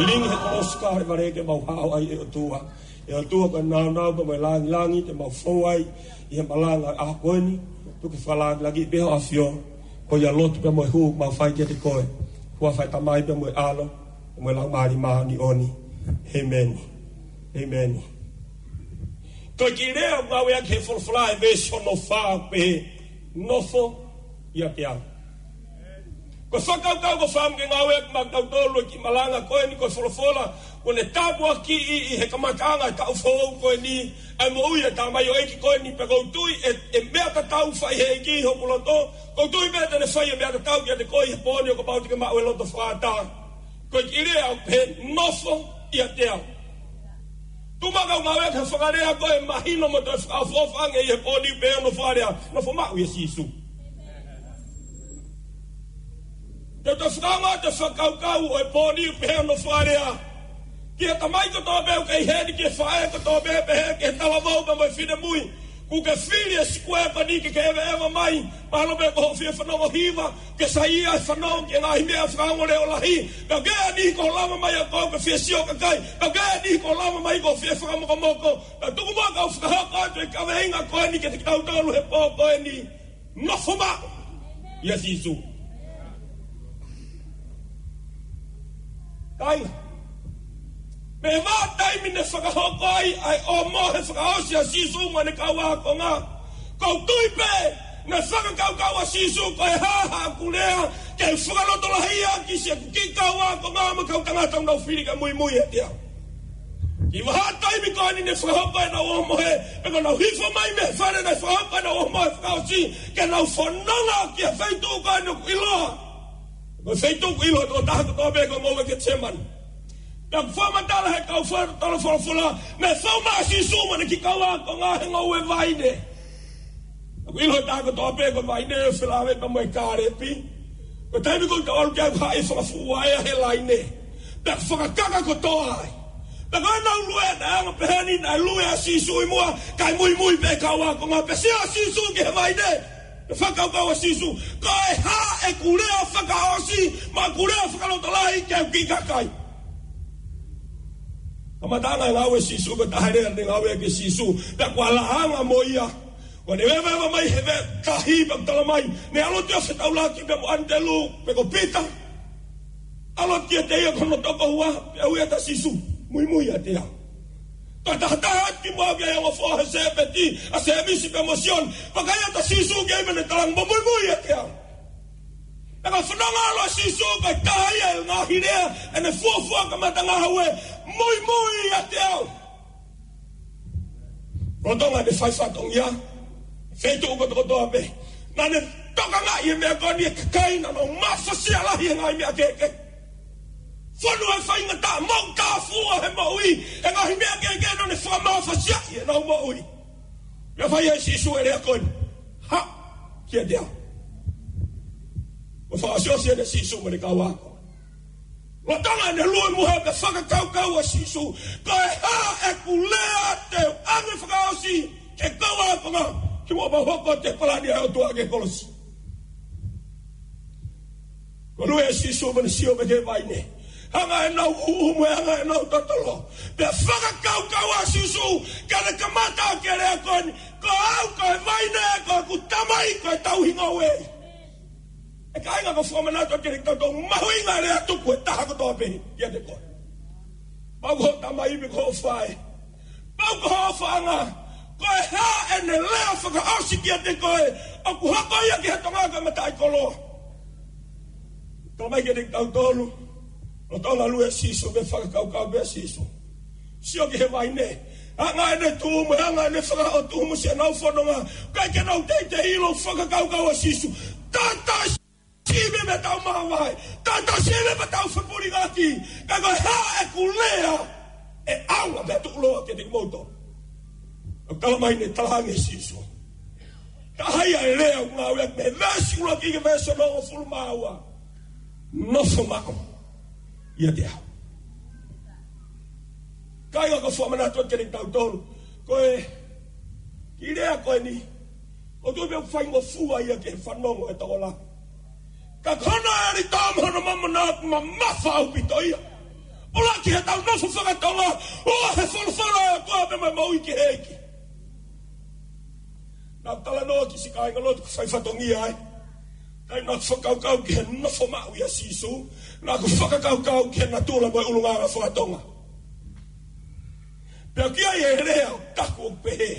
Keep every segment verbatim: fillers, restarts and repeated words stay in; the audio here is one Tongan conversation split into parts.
King he kolosi Kalevale ke mau hao ai ʻe ʻOtua. ʻE ʻOtua ko e nāunau pea mo e langilangi te mau fou ai ʻi he malanga ʻaho ko eni. Tuku ke fakalāngilangiʻi pē ho ʻAfio. Ko ia lotu pea mo e hū mau fai kiate koe. Huafa ʻo e Tamai pea mo e ʻAlo pea mo e Laumālie Māʻoniʻoni. ʻĒmeni. ʻĒmeni. Ko e kiʻi lea ʻoku ngāueʻaki he folofola ʻi he veesi hono fā ʻoku pehē, nofo ʻiate au. Ko e fakakaukau ko e fakaʻamu ke ngāueʻaki maʻa kitautolu e kiʻi malanga ko eni ko e folofola kuo ne tāpuakiʻi ʻi he kamataʻanga e taʻu foʻou ko eni ʻa e moʻui ʻa e tamaioʻeiki ko eni, pea ʻoku ou tui ʻe, ʻe meʻa tatau fai ʻe he ʻEiki hoku loto. ʻOku ou tui pē te ne fai e meʻa tatau kiate koe ʻi he pō ni ʻo kapau te ke maʻu e loto fakaʻatā. Ko e kiʻi lea ʻoku pehē, nofo ʻiate au. Tuku muʻa kau ngāueʻaki ha fakalea ko ē ʻe mahino mo toe fakaʻofoʻofa ange ʻi he pō ni, pehē hono fakalea, nofo maʻu ʻia Sīsū. Te u toe fakaongo atu e fakakaukau ʻo e pō ni, pehē hono fakalea, ki he tamai kotoa pē ʻoku kei heni, ki he faʻē kotoa pē, pehē ki he talavou pea mo e finemui, kuo ke fili e sikuea ko eni ke ke ʻeveʻeva mai. Mahalo pē ko hoʻo fie fanongo hiva, ke saiʻia he fanongo ki he ngaahi meʻa fakaongo leʻo lahi. Ka ʻoku ʻi ai e niʻihi kuo lava mai ʻa koe ke fie sio kakai. Ka ʻoku ʻi ai e niʻihi kuo lava mai kuo fie fakamokomoko. Ka tuku muʻa kau fakahoko atu e kaveinga ko eni kiate kitautolu he pō ko eni. Nofo maʻu ʻia Sīsū. Kāinga, mei he vahaʻa taimi ne fakahoko ai ʻa e ʻōmohe fakaʻosi ʻa Sīsū mo ʻene kau ākonga, ʻoku ou tui pē naʻe fakakaukau ʻa Sīsū ko e hā haʻaku lea ke fakalotolahiʻi ʻaki siʻeku kiʻi kau ākonga mo e kau tangata ʻoku nau fili ke muimui ʻiate au. Kiʻi vahaʻa taimi ko eni ne fakahoko ai ʻenau ʻōmohe, pea ko ʻenau hifo mai mei he fale naʻe fakahoko ai ʻenau ʻōmohe fakaʻosi, ke nau fononga ki he feituʻu ko eni ʻoku ʻiloa. Ko e feituʻu ʻoku ʻilo ʻe he tokotaha kotoa pē ko e ngoue Ketisemani. Pea ʻoku fakamatala he kau fakatotolo folofola, naʻe fou mai ʻa Sīsū mo ʻene kiʻi kau ākonga he ngoue vaine. ʻOku ʻilo ʻe he tokotaha kotoa pē ko e vaine ʻoku felāveʻi pea mo e kālepi. Ko e taimi ko ē ʻoku tau ʻalu ki ai ʻoku haʻi fakafuʻu vaea he laine. Pea fakakaka kotoa ai. Pea ko ʻenau lue naʻe anga pehē ni naʻe lue ʻa Sīsū ʻi muʻa, kae muimui pē kau ākonga pea sio ʻa Sīsū ki he vaine. Pea fakakaukau ʻa Sīsū, ko e hā ʻeku lea fakaʻosi mo ʻeku lea fakalotolahi ki he kiʻi kakai. Kamataʻanga e ngāue ʻa Sīsū, ko e taha e lea ne ngāueʻaki ʻe Sīsū, pea kuo ala anga mo ia. Kuo ne vevevaʻa mai he veʻe tahi pea ʻoku tala mai, ne ʻalu atu ʻo fetaulaki pea mo ʻAnitelū, pe ko Pita. ʻAlu atu kiate ia ko hono tokoua, pea ui atu ʻa Sīsū, muimui ʻiate au. Toe tahataha atu kimuʻa ki he ongo foha ʻo Sēpeti, ʻa Sēmisi pea mo Sione, vakai atu ʻa Sīsū ki ai mo ne talaange, mou muimui ʻiate au. Pea ka fanongo ʻa Sīsū, ko e taha ia e ngaahi lea ʻene fuofua kamata ngāue, muimui ʻiate au. Lolotonga ʻene fai fatongia, feituʻu kotokotoa pē, naʻa ne tokangaʻi e meʻa ko eni e kakai naʻa nau mafasia lahi he ngaahi meʻa kehekehe. Fonu e faingataʻa, moʻutāfua he moʻui he ngaahi meʻa kehekehe, naʻa ne fakamafasiaʻi ʻenau moʻui. Pea fai ʻe Sīsū e lea ko eni, haʻu kiate au. Kuo fakaʻosiʻosi ʻene Sīsū mo ʻene kau ako. Lolotonga ʻene lue muʻa pea fakakaukau ʻa Sīsū, ko e hā ʻeku lea te u ʻange fakaʻosi ki he kau ākonga, kimuʻa pea u hoko atu e palani ʻa e ʻOtua ki he kolosi. Kuo lue ʻa Sīsū mo ne sio mai ki he vaine. Hanga ʻenau ʻuhu mo e hanga ʻenau totolo. Pea fakakaukau ʻa Sīsū, ka ne kamata ʻaki e lea ko eni, ko au ko e vaine, ko ʻeku Tamai ko e tauhi ngoue. ʻE kāinga, ʻoku ou fakamanatu atu kiate kitautolu, mahuʻinga e lea tuku ʻe taha kotoa pē kiate koe. Pau ko hoʻo tamai pe ko hoʻo faʻē. Pau ko hoʻo faʻanga. Ko e hā ʻene lea fakaʻosi kiate koe, ʻoku hoko ia ki he Tonga ko e mataʻikoloa. Tala mai kiate kitautolu, lolotonga lue ʻa Sīsū, pea fakakaukau pē ʻa Sīsū. Sio ki he vaine. Hanga ʻene tumu, hanga ʻene fakaʻotumu siʻenau fononga. ʻIkai ke nau teitei ʻilo e fakakaukau ʻa Sīsū. Tata siʻi meʻa pea tau māvae. Tata siʻi meʻa pea tau fepulingaki. Ka ko e hā ʻeku lea ʻe ʻaonga pea tuʻuloa kiate kimoutolu. ʻOku tala mai ne talaange ʻe Sīsū, taha ia e lea ʻoku ngāueʻaki mei he veesi ʻuluaki ki he veesi hongofulu mā ua. Nofo maʻu ʻiate au. Kāinga, ʻoku ou fakamanatu atu kiate kitautolu, ko e kiʻi lea ko eni, ʻoku ou tui pē ʻoku faingofua ia ki he fanongo ʻa e tokolahi. Ka ko hono ʻelito mo hono mamona ʻoku mamafa ʻaupito ia. ʻUluaki heʻetau nofo fakatonga, ʻoku ʻi he folofola ʻa e ʻOtua pea mo e moʻui kehekehe. Naʻá ku talanoa ki siʻi kāingalotu ʻoku fai fatongia ai. Taimi naʻá ku fakakaukau ki he nofo maʻu ʻia Sīsū, naʻá ku fakakaukau ki he natula mo e ʻulungaanga fakatonga. Pea ʻoku ʻi ai e lea ʻoku taku ʻoku pehē: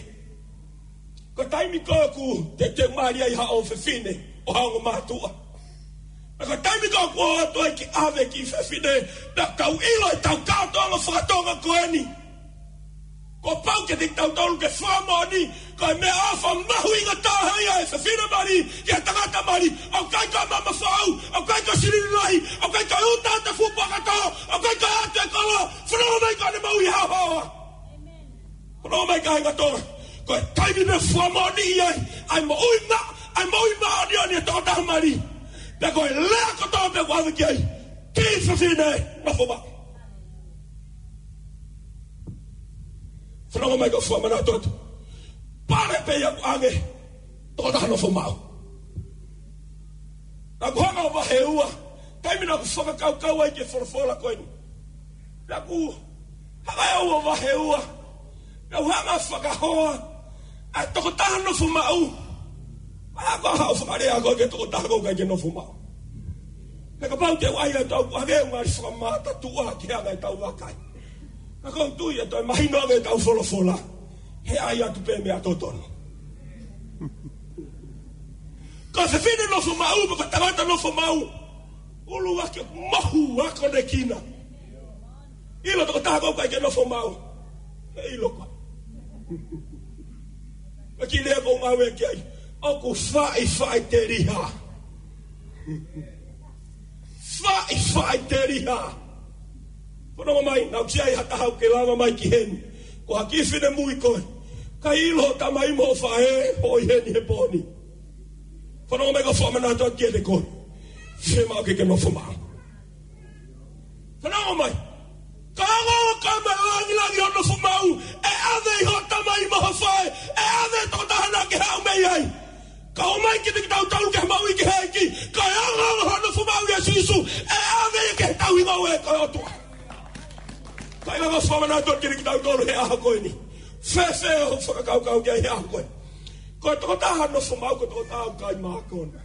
Ko e taimi ko ē ʻoku teuteu mali ai haʻo fefine ʻo ha ongo mātuʻa, pea ko e taimi ko ē ʻoku ō atu ai ke ʻave e kiʻi fefine, pea tau ʻilo ʻetau kātoanga fakatonga ko eni, kuo pau kiate kitautolu ke fakamoʻoni, ko e meʻaʻofa mahuʻinga taha ia ʻa e fefine mali ki he tangata mali. ʻOku ʻikai ko e mamafa ʻau, ʻoku ʻikai ko e silini lahi, ʻoku ʻikai ko e uta ʻa e fuʻu puaka tō, ʻoku ʻikai ko e ʻatu e kolo. Fanongo mai, ko ʻene moʻui haohaoa. Fanongo mai, kāinga Tonga. Ko e taimi naʻe fakamoʻoniʻi ai ʻa e moʻui ma-, ʻa e moʻui māʻoniʻoni ʻa e tokotaha mali, pea ko e lea kotoa pē ʻoku ʻave ki ai: Kiʻi fefine, nofo maʻu. Fanongo mai, ko e fakamanatu atu. Pale pē ia ʻoku ʻange tokotaha nofo maʻu. Naʻá ku hanga ʻo vahe ua, taimi naʻá ku fakakaukau ai ki he folofola ko eni. Naʻá ku hanga ʻo vahe ua. Naʻá ku hanga ʻo fakahoa ʻa e tokotaha nofo maʻu. Pea ko e hā hoʻo fakalea ko ē ki he tokotaha ʻoku ʻikai ke nofo maʻu? Pea kapau te u ʻai ʻa e tau kuo hangē ʻoku ngali fakamātuʻa ki he anga ʻetau vakai. Ka ʻoku ou tui ʻe toe mahino ange ʻetau folofola he ʻai atu pē meʻa totonu. Ko e fefine nofo maʻu, ko e tangata nofo maʻu, ʻuluaki ʻoku mohu akonekina. ʻIlo tokotaha ʻoku ʻikai ke nofo maʻu. ʻE ʻilo koe. Ko e kiʻi lea ʻoku ou ngāue ki ai, ʻoku faʻifaʻiteliha. Faʻifaʻiteliha. Fanongo mai, naʻá ku sio ai ha taha ʻoku ke lava mai ki heni, ko ha kiʻi finemui koe, ʻikai ʻilo hoʻo tamai mo hoʻo faʻē ʻoku ʻi heni he pō ni. Fanongo mai, ko e fakamanatu atu kiate koe. Fiemaʻu ke ke nofo maʻu. Fanongo mai. Ka ʻoku ʻikai ke malangilangi hoʻo nofo maʻu, ʻe ʻave ʻe hoʻo tamai mo hoʻo faʻē, ʻe ʻave ʻe he tokotaha naʻá ke haʻu mei ai. Ka ʻomai kiate kitautolu ki he moʻui kehekehe, ka ʻi he ongoongo hoʻo nofo maʻu ʻia Sīsū, ʻe ʻave ia ki he tauhi ngoue ʻa e ʻOtua. Kāinga, ʻoku ou fakamanatu atu kiate kitautolu he ʻaho ko eni. Fēfē hoʻo fakakaukau ki ai he ʻaho ko eni? Ko e tokotaha nofo maʻu, ko e tokotaha ʻoku ʻikai mākona.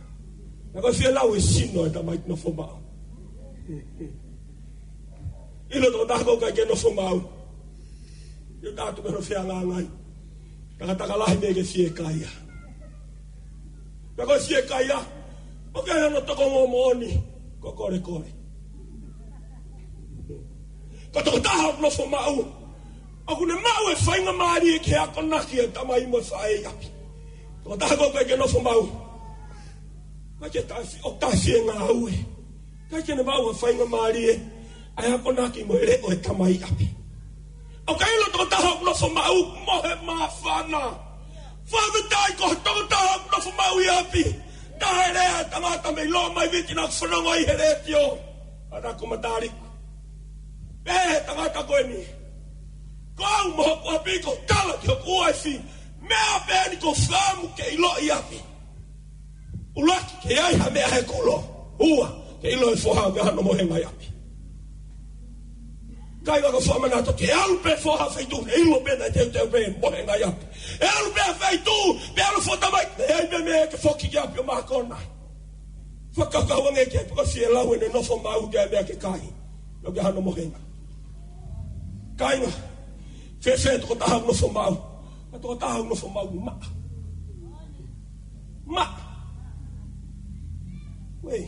Naʻe ʻikai fie lau e sino ʻo e tamaiki nofo maʻu. ʻIlo tokotaha ʻoku ʻikai ke nofo maʻu. ʻIo, tatu meno feangangai. Takataka lahi mei he fiekaia. Pea ko e fiekaia, ʻoku ʻi ai hono tokongomoʻoni, ko e kolekole. Ko e tokotaha ʻoku nofo maʻu, ʻoku ne maʻu e faingamālie ke akonaki e tamai mo e faʻē ʻi ʻapi. Tokotaha ʻoku ʻikai ke nofo maʻu, ʻoku ʻikai ke tafi-, ʻoku tafi e ngāue. ʻIkai ke ne maʻu ha faingamālie ʻa e akonaki mo e leʻo e tamai ʻi ʻapi. ʻOku ʻikai ʻilo tokotaha ʻoku nofo maʻu, mohe māfana. Fakafetaʻi ko e tokotaha ʻoku nofo maʻu ʻi ʻapi. Taha e lea ʻa e tangata mei Loma ʻi Viti naʻá ku fanongo ai he letiō ʻanenai ko Mataliku. Pehē ʻe he tangata ko eni: Ko au mo hoku ʻapi, ko e tala ki hoku uaifi, meʻa pē eni ʻoku ou fakaʻamu ke ʻiloʻi ʻi ʻapi. ʻUluaki, ke ʻi ai ha meʻa he kulo. Ua, ke ʻilo e foha ʻoku ʻi ai hano mohenga ʻi ʻapi. Kāinga, ʻoku ou fakamanatu atu, ke ʻalu pē foha feituʻu, ʻe ʻilo pē naʻe teuteu pē mohenga ʻi ʻapi. ʻE ʻalu pē feituʻu, pea ʻalu fota mai, ʻe ʻi ai pē meʻa ke foki ki ʻapi ʻo mākona. Fakakaukau ange ki ai, pea ko e fie lau ʻene nofo maʻu ki he meʻa ke kai, ʻoku ʻi ai hano mohenga. Kāinga, fēfē tokotaha ʻoku nofo maʻu? Ko e tokotaha ʻoku nofo maʻu, maʻa. Maʻa. Uē,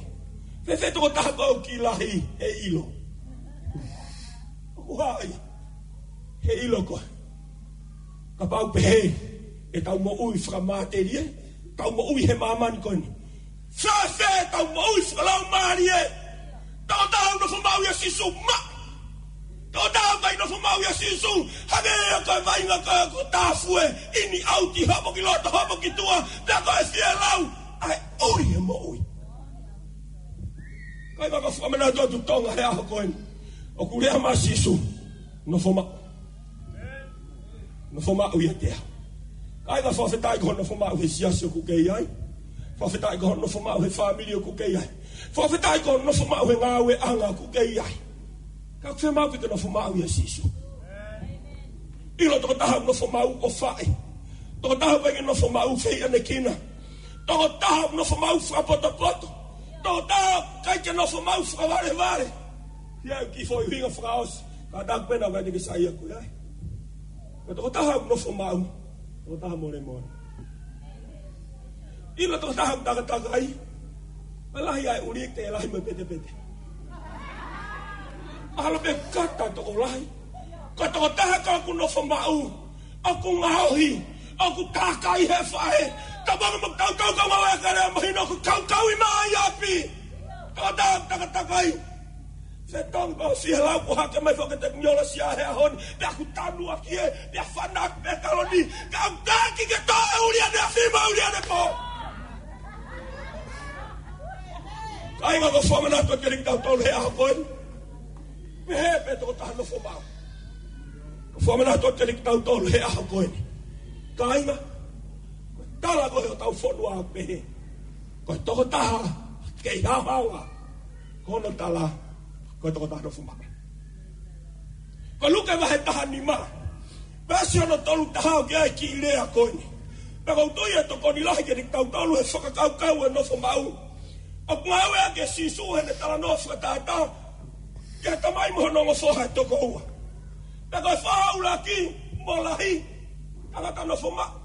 fēfē tokotaha ʻoku kiʻi lahi he ʻilo? ʻOku hā ia he ʻilo ko ē? Kapau pehē ʻetau moʻui fakamatelie, ʻetau moʻui he māmani ko eni, fēfē ʻetau moʻui fakalaumālie? Tokotaha ʻoku nofo maʻu ʻia Sīsū, maʻa. Tokotaha ʻoku ʻikai nofo maʻu ʻia Sīsū, hangē ia ko e vaʻinga ko ē ʻoku tāfue, in and out, hopo ki loto, hopo ki tuʻa, pea ko e fie lau ʻa e ʻuli he moʻui. Kāinga, ʻoku ou fakamanatu atu, Tonga, he ʻaho ko eni, ʻoku lea mai ʻa Sīsū: Nofo maʻu. Nofo maʻu ʻiate au. Kāinga, fakafetaʻi ko hoʻo nofo maʻu he siasi ʻoku ke ʻi ai. Fakafetaʻi ko hoʻo nofo maʻu he fāmili ʻoku ke ʻi ai. Fakafetaʻi ko hoʻo nofo maʻu he ngāueʻanga ʻoku ke ʻi ai. ʻOku fiemaʻu ke ke nofo maʻu ʻia Sīsū. ʻIlo, tokotaha ʻoku nofo maʻu ʻofaʻi. Tokotaha ʻoku ʻikai ke nofo maʻu fehiʻanekina. Tokotaha ʻoku nofo maʻu fakapotopoto. Tokotaha ʻoku ʻikai ke nofo maʻu fakavalevale. ʻI ai e kiʻi foʻi ʻuhinga fakaʻosi. Kātaki pē naʻa ʻikai te ke saiʻia ko ia. Ko e tokotaha ʻoku nofo maʻu, tokotaha molemole. ʻIlo, tokotaha ʻoku takatakai. ʻE lahi ʻa e ʻuli, ʻe lahi mo e petepete. Mahalo pē kata tokolahi. Ko e tokotaha ka ʻoku nofo maʻu, ʻoku ngaohi, ʻoku takai he faʻē. Kapau ʻoku mou tautau kau ngāue ʻa e Kalaisi, mahino ʻoku kaukauʻi mai ʻapi. Tokotaha ʻoku takatakai. Fetongi pau si he lau ko hake mai foki e tekinolosia he ʻaho ni, pea ʻoku tanu ʻaki ē, pea fanaki pē kaloni, ka ʻoku taki ke tō e ʻuli ʻaneafi mo e ʻuli ʻanepō. Kāinga, ʻoku ou fakamanatu atu kiate kitautolu he ʻaho ko eni. Pehē pē tokotaha nofo maʻu. ʻOku ou fakamanatu atu kiate kitautolu he ʻaho ko eni. Kāinga, tala ko ē hotau fonua pehē. Ko e tokotaha kei haohaoa. Ko hono tala, ko e tokotaha nofo maʻu. Ko Luke vahe taha nima, veesi hono tolu taha ʻoku ʻi ai e kiʻi lea ko eni. Pea ʻoku ou tui ʻe tokoni lahi kiate kitautolu he fakakaukau e nofo maʻu. ʻOku ngāueʻaki ʻe Sīsū heʻene talanoa fakatātā ki he tamai mo hono ongo foha ʻe toko ua. Pea ko e foha ʻuluaki, mo lahi, tangata nofo maʻu.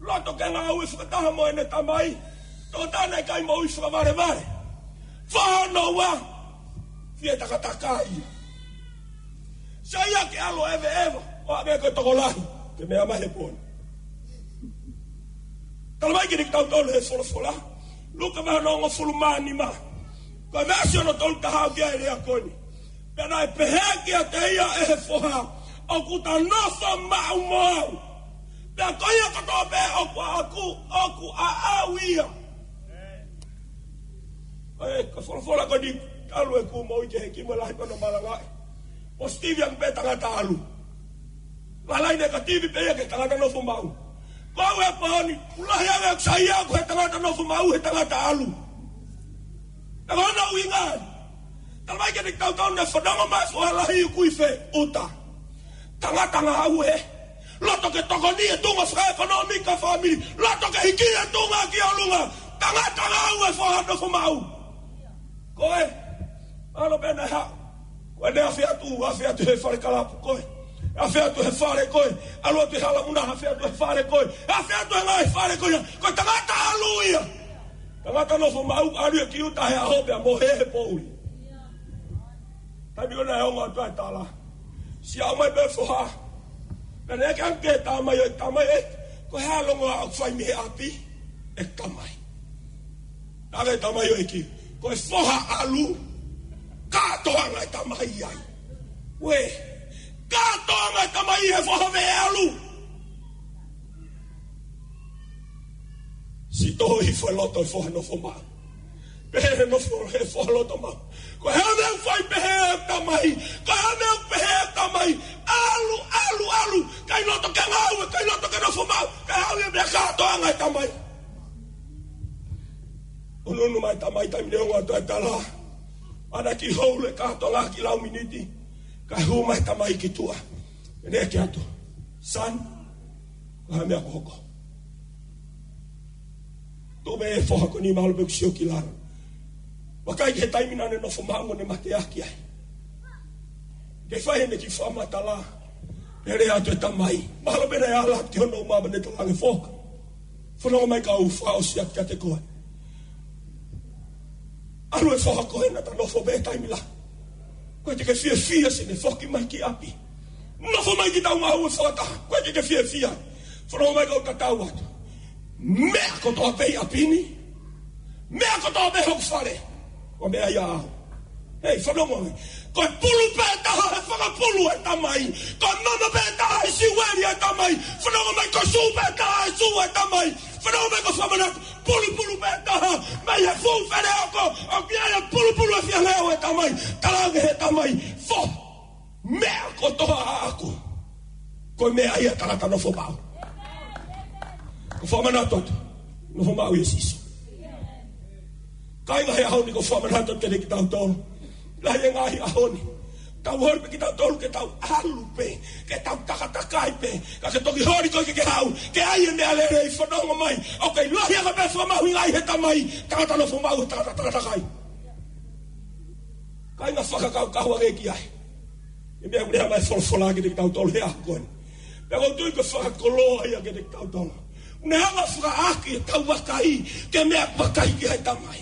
Loto ke ngāue fakataha mo ʻene tamai. Tokotaha naʻe ʻikai moʻui fakavalevale. Foha hono ua, fie takatakai. Saiʻia ke ʻalu ʻo ʻeveʻeva, ʻo hangē ko e tokolahi, ke meʻa mai he pō ni. Tala mai kiate kitautolu he folofola, Luke vahe hono hongofulu mā nima, ko e veesi hono tolu taha ʻoku ʻi ai e lea ko eni. Pea naʻe pehē kiate ia ʻe he foha, ʻoku ta nofo maʻu mo au. Pea ko ia kotoa pē ʻoku ʻaʻaku, ʻoku ʻaʻau ia. ʻE, ko e folofola ko eni, ʻalu e kuo moʻui ki he kiʻi mo e lahi ko hono malangaʻi. Positivi ange pē tangata ʻalu. Lalahi negativi pē ia ki he tangata nofo maʻu. Ko au he pō ni, ʻoku lahi ange ʻeku saiʻia ʻaʻaku he tangata nofo maʻu, he tangata ʻalu. Ka ko hono ʻuhinga ē. Tala mai kiate kitautolu naʻe fanongo mai e foha lahi ʻoku ʻi fē, ʻuta. Tangata ngāue. Loto ke tokoni e tuʻunga fakaʻekonōmika fāmili. Loto ke hiki e tuʻunga ki ʻolunga. Tangata ngāue e foha nofo maʻu. Ko ē, ʻalu pē naʻe haʻu. Ko ʻene afe atu, afe atu he fale kalapu ko ē. Afe atu he fale ko ē. ʻAlu atu he hala muna, afe atu he fale ko ē. Afe atu he ngaahi fale ko ē. Ko e tangata ʻalu ia. Tangata nofo maʻu, ʻalu ia ki ʻuta he ʻaho pea mohe he poʻuli. Taimi ko ē naʻe ongo atu ai e tala. Sio mai pē foha. Pea ne ke ange ki he tamai, ʻoe tamai ē, ko e hā e longoaʻa ʻoku fai mei he ʻapi ʻeku tamai? Tala e tamai ʻo e kiʻi, ko e foha ʻalu, kātoanga e tamai ai. Uē, kātoanga e tamai he foha veʻe ʻalu. Siʻi toho hifo e loto e foha nofo maʻu. Pehē he nofo he foha loto maʻu. Ko e hā e meʻa ʻoku fai pehē e tamai? Ko e hā e meʻa ʻoku pehē e tamai? ʻAlu, ʻalu, ʻalu. ʻIkai loto ke ngāue, ʻikai loto ke nofo maʻu. Kae haʻu ia pea kātoanga e tamai. Unuunu mai e tamai taimi naʻe ongo atu ai e tala. Ana ki hou le kātoanga ki lau miniti. Kae hū mai e tamai ki tuʻa. Pea ne ke atu. Son, ko e hā e meʻa kuo hoko? Tuʻu pē e foha ko eni, mahalo pē kuo sio ki lalo. Vakai ki he taimi naʻa ne nofo maʻu mo ne mateaki ai. Ke fai ʻene kiʻi fakamatala. Pea lea atu e tamai. Mahalo pē naʻe ala atu ki hono uma pea ne talaange, foha, fanongo mai kau fakaʻosi atu kiate koe. ʻAlu e foha ko ē naʻa ta nofo pē taimi lahi. ʻOku ʻikai te ke fiefia siʻene foki mai ki ʻapi. Nofo mai ki taungāue fakataha. ʻOku ʻikai te ke fiefia. Fanongo mai kau tatau atu. Meʻa kotoa pē ʻi ʻapi ni. Meʻa kotoa pē hoku fale. Ko e meʻa ia ʻaʻau. Hei, fanongo mai. Ko e pulu pē taha he fakapulu e tamai. Ko e mama pē taha he siueli e tamai. Fanongo mai, ko e sū pē taha he sū e tamai. Fanongo mai, ko e fakamanatu. Pulupulu pē taha mei he fuʻu feleoko, ʻoku ʻi ai e pulupulu e fia leo e tamai. Talaange he tamai, foha, meʻa kotoa ʻaʻaku, ko e meʻa ia ʻa e tangata nofo maʻu. ʻOku ou fakamanatu atu, nofo maʻu ʻia Sīsū. Kāinga, he ʻaho ni ʻoku ou fakamanatu atu kiate kitautolu. Lahi e ngaahi ʻaho ni. Tau holi pē kitautolu ke tau ʻalu pē, ke tau takatakai pē, ka ke toki holi koe ke ke haʻu, ke ʻai e meʻalele ʻi fanongo mai, ʻoku ʻikai lahi ange pē fakamahuʻingaʻi he Tamai, tangata nofo maʻu, tangata takatakai. Kāinga, fakakaukau ange ki ai. E meʻa ʻoku lea mai e folofola kiate kitautolu he ʻaho ko eni. Pea ʻoku ou tui ko e fakakoloa ia kiate kitautolu. ʻOku ne hanga ʻo fakaʻaʻaki ʻetau vakai ki he meʻa ʻoku vakai ki ai e Tamai.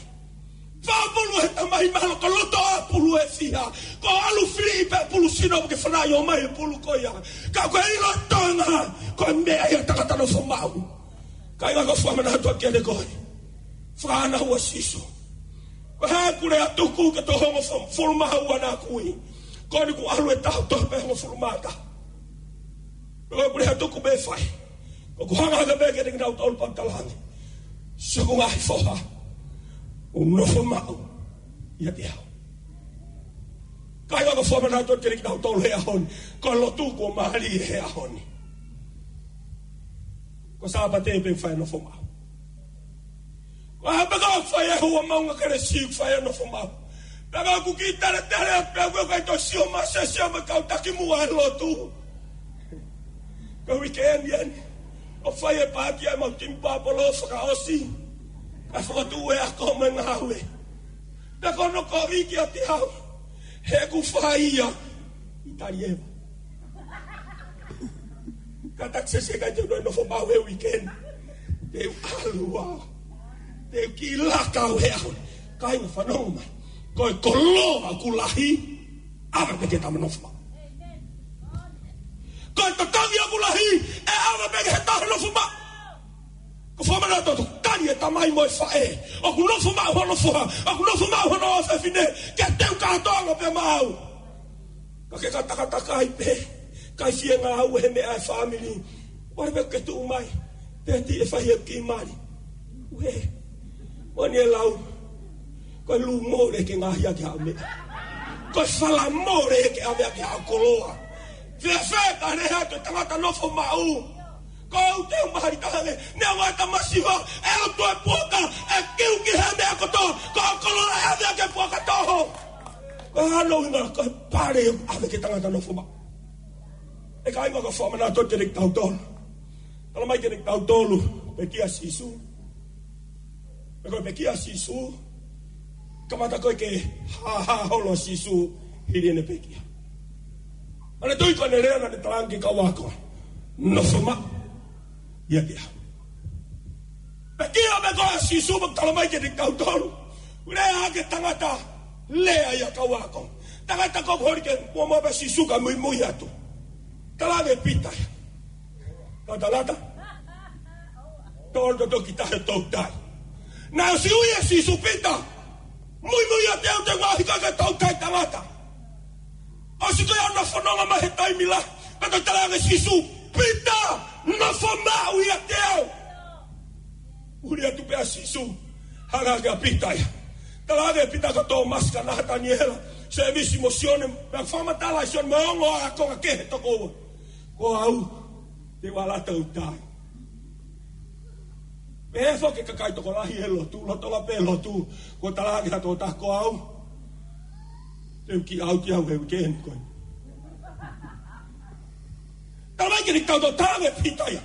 Fakapulu he Tamai mahalo ko e loto ʻapulu e fiha. Ko e ʻalu fili pē pulu sino ke fanauʻi mai e pulu ko ia. Ka ko e ʻilo ʻa e Tonga, ko e meʻa ia tangata nofo maʻu. Kāinga, ʻoku ou fakamanatu atu kiate koe. Fakaʻānaua Sīsū. Ko e hā ʻeku lea tuku ki he toko hongofulu mā ua naʻa ku ui? Ko eni kuo ʻalu e taʻu toko pē hongofulu mā taha. Ko ʻeku lea tuku pē fai. Ko ʻeku hanga hake pē kiate kinautolu pea u talaange, siʻoku ngaahi foha, mou nofo maʻu ʻiate au. Kāinga, ʻoku ou fakamanatu atu kiate kitautolu he ʻaho ni. Ko e lotu kuo mālie he ʻaho ni. Ko e Sāpate pē ʻoku fai e nofo maʻu. Ko e hā pē ka ʻoku fai e houa maʻunga kelesi ʻoku fai e nofo maʻu. Pea ka ʻoku kiʻi taletale pē ʻoku ʻikai toe sio mai, sio mai kau taki muʻa he lotu. Ko e weekend eni. ʻOku fai e paati ʻa e mau timi pāpolo fakaʻosi. Ka fakatuʻu e ako mo e ngāue. Pea ko hono kovi kiate au, he ʻoku fai ia ʻi Talieva. Kātaki sese, ʻikai te u nofo maʻu he weekend. Te u ʻalu au. Te u kiʻi laka au he ʻaho ni. Kāinga, fanongo mai. Ko e koloa ʻoku lahi, ʻave pē ki he tama nofo maʻu. Ko e totongi ʻoku lahi, ʻe ʻave pē ki he taha nofo maʻu. ʻOku ou fakamanatu atu, tali e tamai mo e faʻē ʻoku nofo maʻu hono foha, ʻoku nofo maʻu hono ʻofefine, ke teu kātoanga pē maʻau. Ka ke ka takatakai pē, ʻikai fie ngāue he meʻa ʻa e fāmili, ʻoua pē ke tuʻu mai, pea te ke fai e kiʻi mali. Uē, ʻoua naʻa lau. Ko e lū mole ke ngaahi ʻaki haʻo meʻa. Ko e fala mole ke ʻave ʻaki haʻo koloa. Fēfē ka ne hā ko e tangata nofo maʻu? Ko au te u mahali taha ange, ne ʻoua ta masiva, ʻe ʻotu e puaka, ʻe kiu ki he meʻa kotoa, ko e koloa ʻe ʻave ʻaki e puaka toho. Ko e hā hono ʻuhinga? Ko e pale ʻave ki he tangata nofo maʻu. ʻE kāinga, ʻoku ou fakamanatu atu kiate kitautolu. Talamai kiate kitautolu, pekia Sīsū. Pea ko e pekia Sīsū, kamata ko ē ke hāhā holo ʻa Sīsū hili ʻene pekia. Naʻa ne tui ko ʻene lea naʻa ne talaange ki he kau ako, nofo maʻu ʻiate au. Pekia pē ko ē ʻa Sīsū, pea talamai kiate kitautolu, lea ki he tangata, lea ia kau ako. Tangata ko ē holi ke muʻomuʻa pē ʻa Sīsū kae muimui atu. Talaange ʻe Pita ia, kau tangata, tō ʻo toki tahi e toutai. Naʻe ʻosi ui ʻe Sīsū, Pita, muimui atu, te u ngaohi koe ke toutai tangata. ʻOsi ko ia hono fononga mai he taimi lahi, pea toe talaange ʻe Sīsū, Pita, nofo maʻu ʻiate au. Huli atu pē ʻa Sīsū, hanga hake ʻa Pita ia. Talaange ʻe Pita, ko Tōmasi, ko Nataniela, Sēmisi mo Sione, pea fakamatala ʻe Sione mo e ongo ākonga kehe toko ua, ko au, te u ala toutai. Pehē foki e kakai tokolahi he lotu, loto la pē lotu, ko e talaange ʻe ha tokotaha, ko au, te u kiʻi ʻauti au he weekend ko ē. Talamai kiate kitautolu, talaange ʻe Pita ia,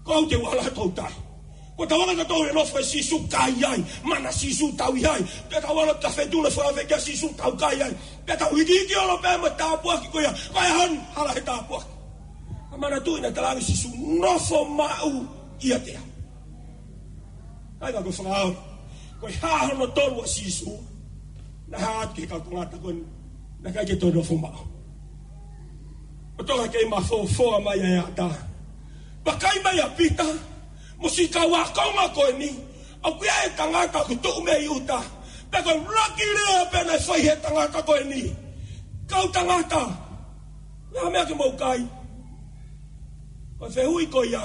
ko au te u ala toutai. Ko ʻetau anga ʻetau nofo ʻa Sīsū, kai ai, mana Sīsū, tau ʻi ai. Pea tau ala ki ha feituʻu naʻe fai kia Sīsū, tau kai ai. Pea tau hikihikiʻolo pē mo e tāpuaki ko ia, ko e ʻaho ni, hala he tāpuaki. Ka manatuʻi naʻe talaange ʻe Sīsū, nofo maʻu ʻiate au. Kāinga, ko e fakaʻau, ko e hā hono tolu ʻa Sīsū? Naʻe hā atu ki he kau tangata ko eni naʻe ʻikai ke toe nofo maʻu. ʻO toka kei mafofoa mai ʻa e ʻatā. Vakai mai ʻa Pita mo siʻi kau ākonga ko eni, ʻoku ʻi ai e tangata ʻoku tuʻu mei ʻuta. Pea ko e ʻuluaki lea pē naʻe fai ʻe he tangata ko eni, kau tangata, ko e hā e meʻa ke mou kai? Ko e fehuʻi ko ia,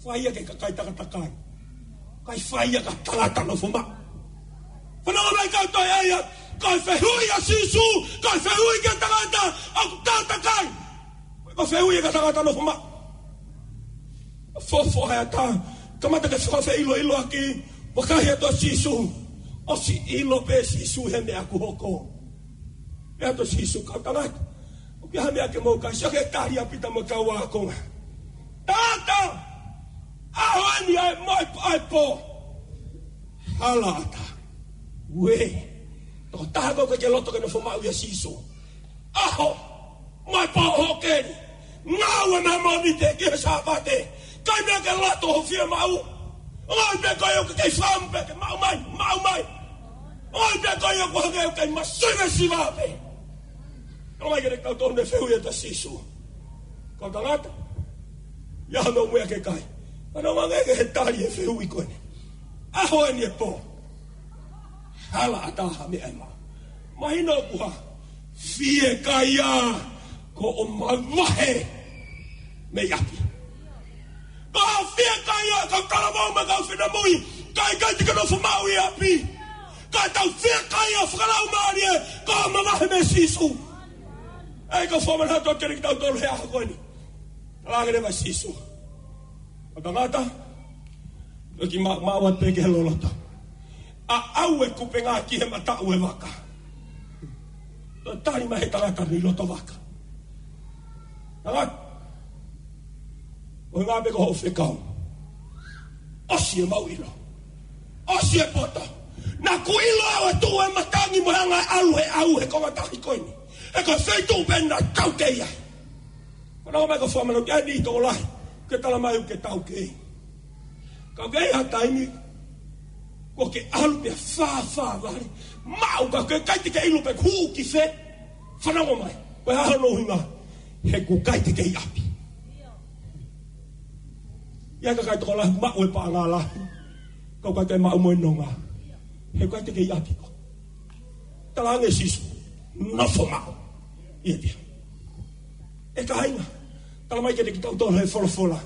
fai ia ki he kakai takatakai. ʻIkai fai ia ki ha tangata nofo maʻu. Fanongo mai, kau toe ʻai ia, ko e fehuʻi ʻa Sīsū, ko e fehuʻi ki he tangata ʻoku takatakai. Ko e fehuʻi ia ki ha tangata nofo maʻu. Fofoa e ʻatā, kamata ke fakafeʻiloʻiloʻaki, vakai atu ʻa Sīsū. ʻOsi ʻilo pē ʻe Sīsū he meʻa ʻoku hoko. Pehē atu ʻa Sīsū, kau tangata, Pea ha meʻa ke mou kai, sio ki he tali ʻa Pita mo e kau ākonga. Tangata, ʻaho eni ʻa e, mo e, ʻa e pō. Hala ʻatā. Uē. Tokotaha ʻoku ʻikai ke loto ke nofo maʻu ʻia Sīsū. ʻAho, mo e pō ʻoku hoko eni. Ngāue mo e Mōnite ki he Sāpate. ʻIkai meʻa ke loto hoʻo fiemaʻu. ʻOku ʻi ai pē ko ia ʻoku kei fakaʻamu pē ke maʻu mai, maʻu mai. ʻOku ʻi ai pē ko ia ʻoku hangē ʻoku kei masiva, siva pē. Tala mai kiate kitautolu ʻene fehuʻi ʻa Sīsū. Kau tangata, ʻi ai haʻamou meʻa ke kai? Fanongo angē ki he tali ʻo e fehuʻi ko eni. ʻAho eni ʻo e pō. Hala ʻatā, ha meʻa ʻe maʻu. Mahino ʻoku hā? Fiekaia, ko hoʻo mavahe mei ʻapi. Ko e fiekaia, kau talavou mo e kau finemui, ʻikai, ʻikai te ke nofo maʻu ʻi ʻapi. Ka tau fiekaia fakalaumālie, ko hoʻo mavahe mei Sīsū. ʻEi, kau fakamanatu atu kiate kitautolu he ʻaho ko eni. Talaange leva ʻe Sīsū, kau tangata, toki ma-, maʻu atu pē ki he loloto. Aʻau e kupenga ki he mataʻu ʻo e vaka. Toe tali mai he tangata mei loto vaka. Tangata, ʻuhinga pē ko hoʻo fekau. ʻOsi ʻemau ʻilo. ʻOsi e poto. Naʻá ku ʻilo au ʻe tuʻu e matangi mo e anga e ʻalu he ʻau he konga tahi ko eni. He ko e feituʻu pē naʻa tau kei ai. Fanongo mai, kau fakamanatu atu, ʻa eni tokolahi ke tala mai ʻoku ke tau kei. Ka ʻoku ʻi ai ha taimi kuo ke ʻalu pea fāfā vale. Maʻu ka ʻoku ʻikai te ke ʻilo pe ʻoku ke hū ki fē. Fanongo mai, ko e hā hono ʻuhinga? He ʻoku ʻikai te ke ʻi ʻapi. ʻI ai e kakai tokolahi maʻu e paʻanga lahi, ka ʻoku ʻikai te maʻu mo e nonga. He ʻoku ʻikai te ke ʻi ʻapi koe. Talaange ʻe Sīsū, nofo maʻu ʻiate au. ʻE kāinga, tala mai kiate kitautolu he folofola,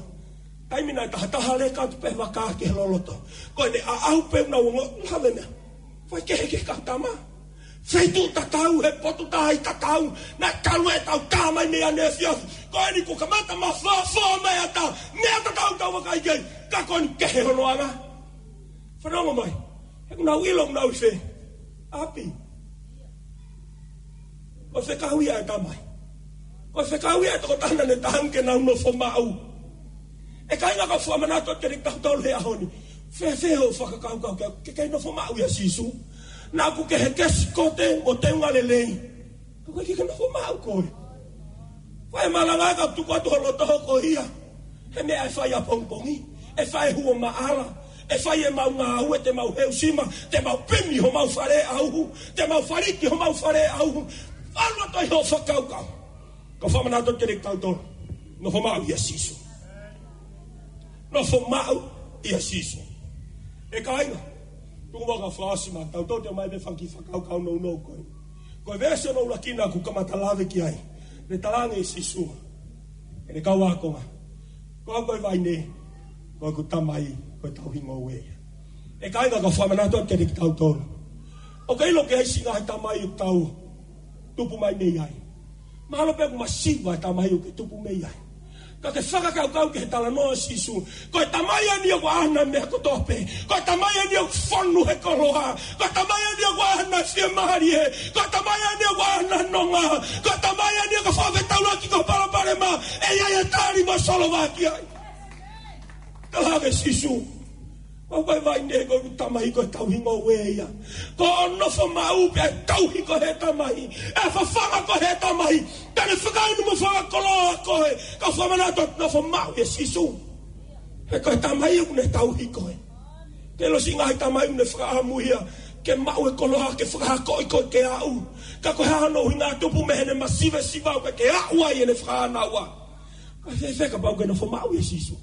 taimi naʻe taha taha leka atu pē vaka ki he loloto, ko ʻene aʻau pē ʻoku nau ongoʻi, lave meʻa. Fai kehekehe kau tama. Feituʻu tatau, he potu tahi tatau, naʻe talu e tau tā mai mei ʻaneefiafi. Ko eni kuo kamata mafoafua mai ʻa e ata, meʻa tatau tau vakai ki ai, ka ko eni kehe hono anga. Fanongo mai, he ʻoku nau ʻilo ʻoku nau ʻi fē? ʻApi. Ko e fekau ia ʻa e tamai. Ko e fekau ia ʻa e tokotaha naʻá ne tala ange ke nau nofo maʻu. ʻE kāinga, kau fakamanatu atu kiate kitautolu he ʻaho ni. Fēfē hoʻo fakakaukau ke, ke kei nofo maʻu ʻia Sīsū? Naʻá ku kei he kesi kote mo e teunga lelei. Ka ʻoku ʻikai ke ke nofo maʻu koe. Ko e malanga ka tuku atu ho loto hoko ia. He meʻa ʻe fai ʻapongipongi, ʻe fai ʻi he huo maʻala, ʻe fai ʻemau ngāue, te mau heusima, te mau pemi homau fale ʻauhu, te mau faliki homau fale ʻauhu. ʻAlu atu ai hoʻo fakakaukau. Kau fakamanatu atu kiate kitautolu, nofo maʻu ʻia Sīsū. Nofo maʻu ʻia Sīsū. ʻE kāinga, tuku muʻa kae fakaʻosi mai, tau toe ʻomai pē fanga kiʻi fakakaukau nounou ko ē. Ko e veesi hono ʻuluaki naʻá ku kamata lave ki ai, ne talaange ʻe Sīsū ki heʻene kau ākonga, ko au ko e vaine, ko ʻeku Tamai ko e tauhi ngoue ia. ʻE kāinga, kau fakamanatu atu kiate kitautolu, ʻoku ke ʻilo ʻoku ʻi ai siʻi ngaahi tamai ʻoku tau tupu mai mei ai. Mahalo pē ʻoku masiva e tamai ʻoku ke tupu mei ai. Ka ke fakakaukau ki he talanoa ʻa Sīsū. Ko e tamai eni ʻoku ʻaʻana e meʻa kotoa pē. Ko e tamai eni ʻoku fonu he koloa. Ko e tamai eni ʻoku ʻaʻana e fiemālie. Ko e tamai eni ʻoku ʻaʻana e nonga. Ko e tamai eni ʻoku fakafetaulaki ki ho palopalema. ʻE ʻi ai e tali mo e solova ki ai. Talaange ʻe Sīsū, ko au ko e vaine, ko ʻeku Tamai ko e tauhi ngoue ia. Ko hoʻo nofo maʻu pē ʻe tauhi koe ʻe he Tamai, ʻe fafanga koe ʻe he Tamai, te ne fakainu mo fakakoloa koe. Kau fakamanatu atu, nofo maʻu ʻia Sīsū. He ko e Tamai ʻoku ne tauhi koe. Ke ʻilo, siʻi ngaahi tamai ʻoku ne fakaʻamu ia ke maʻu e koloa ke fakaakoʻi koe ke aʻu. Ka ko e hā hono ʻuhinga? Tupu mei heʻene masivesiva ʻoku ʻikai ke aʻu ai ʻene fakaʻānaua. Ka fēfē kapau ʻoku ke nofo maʻu ʻia Sīsū?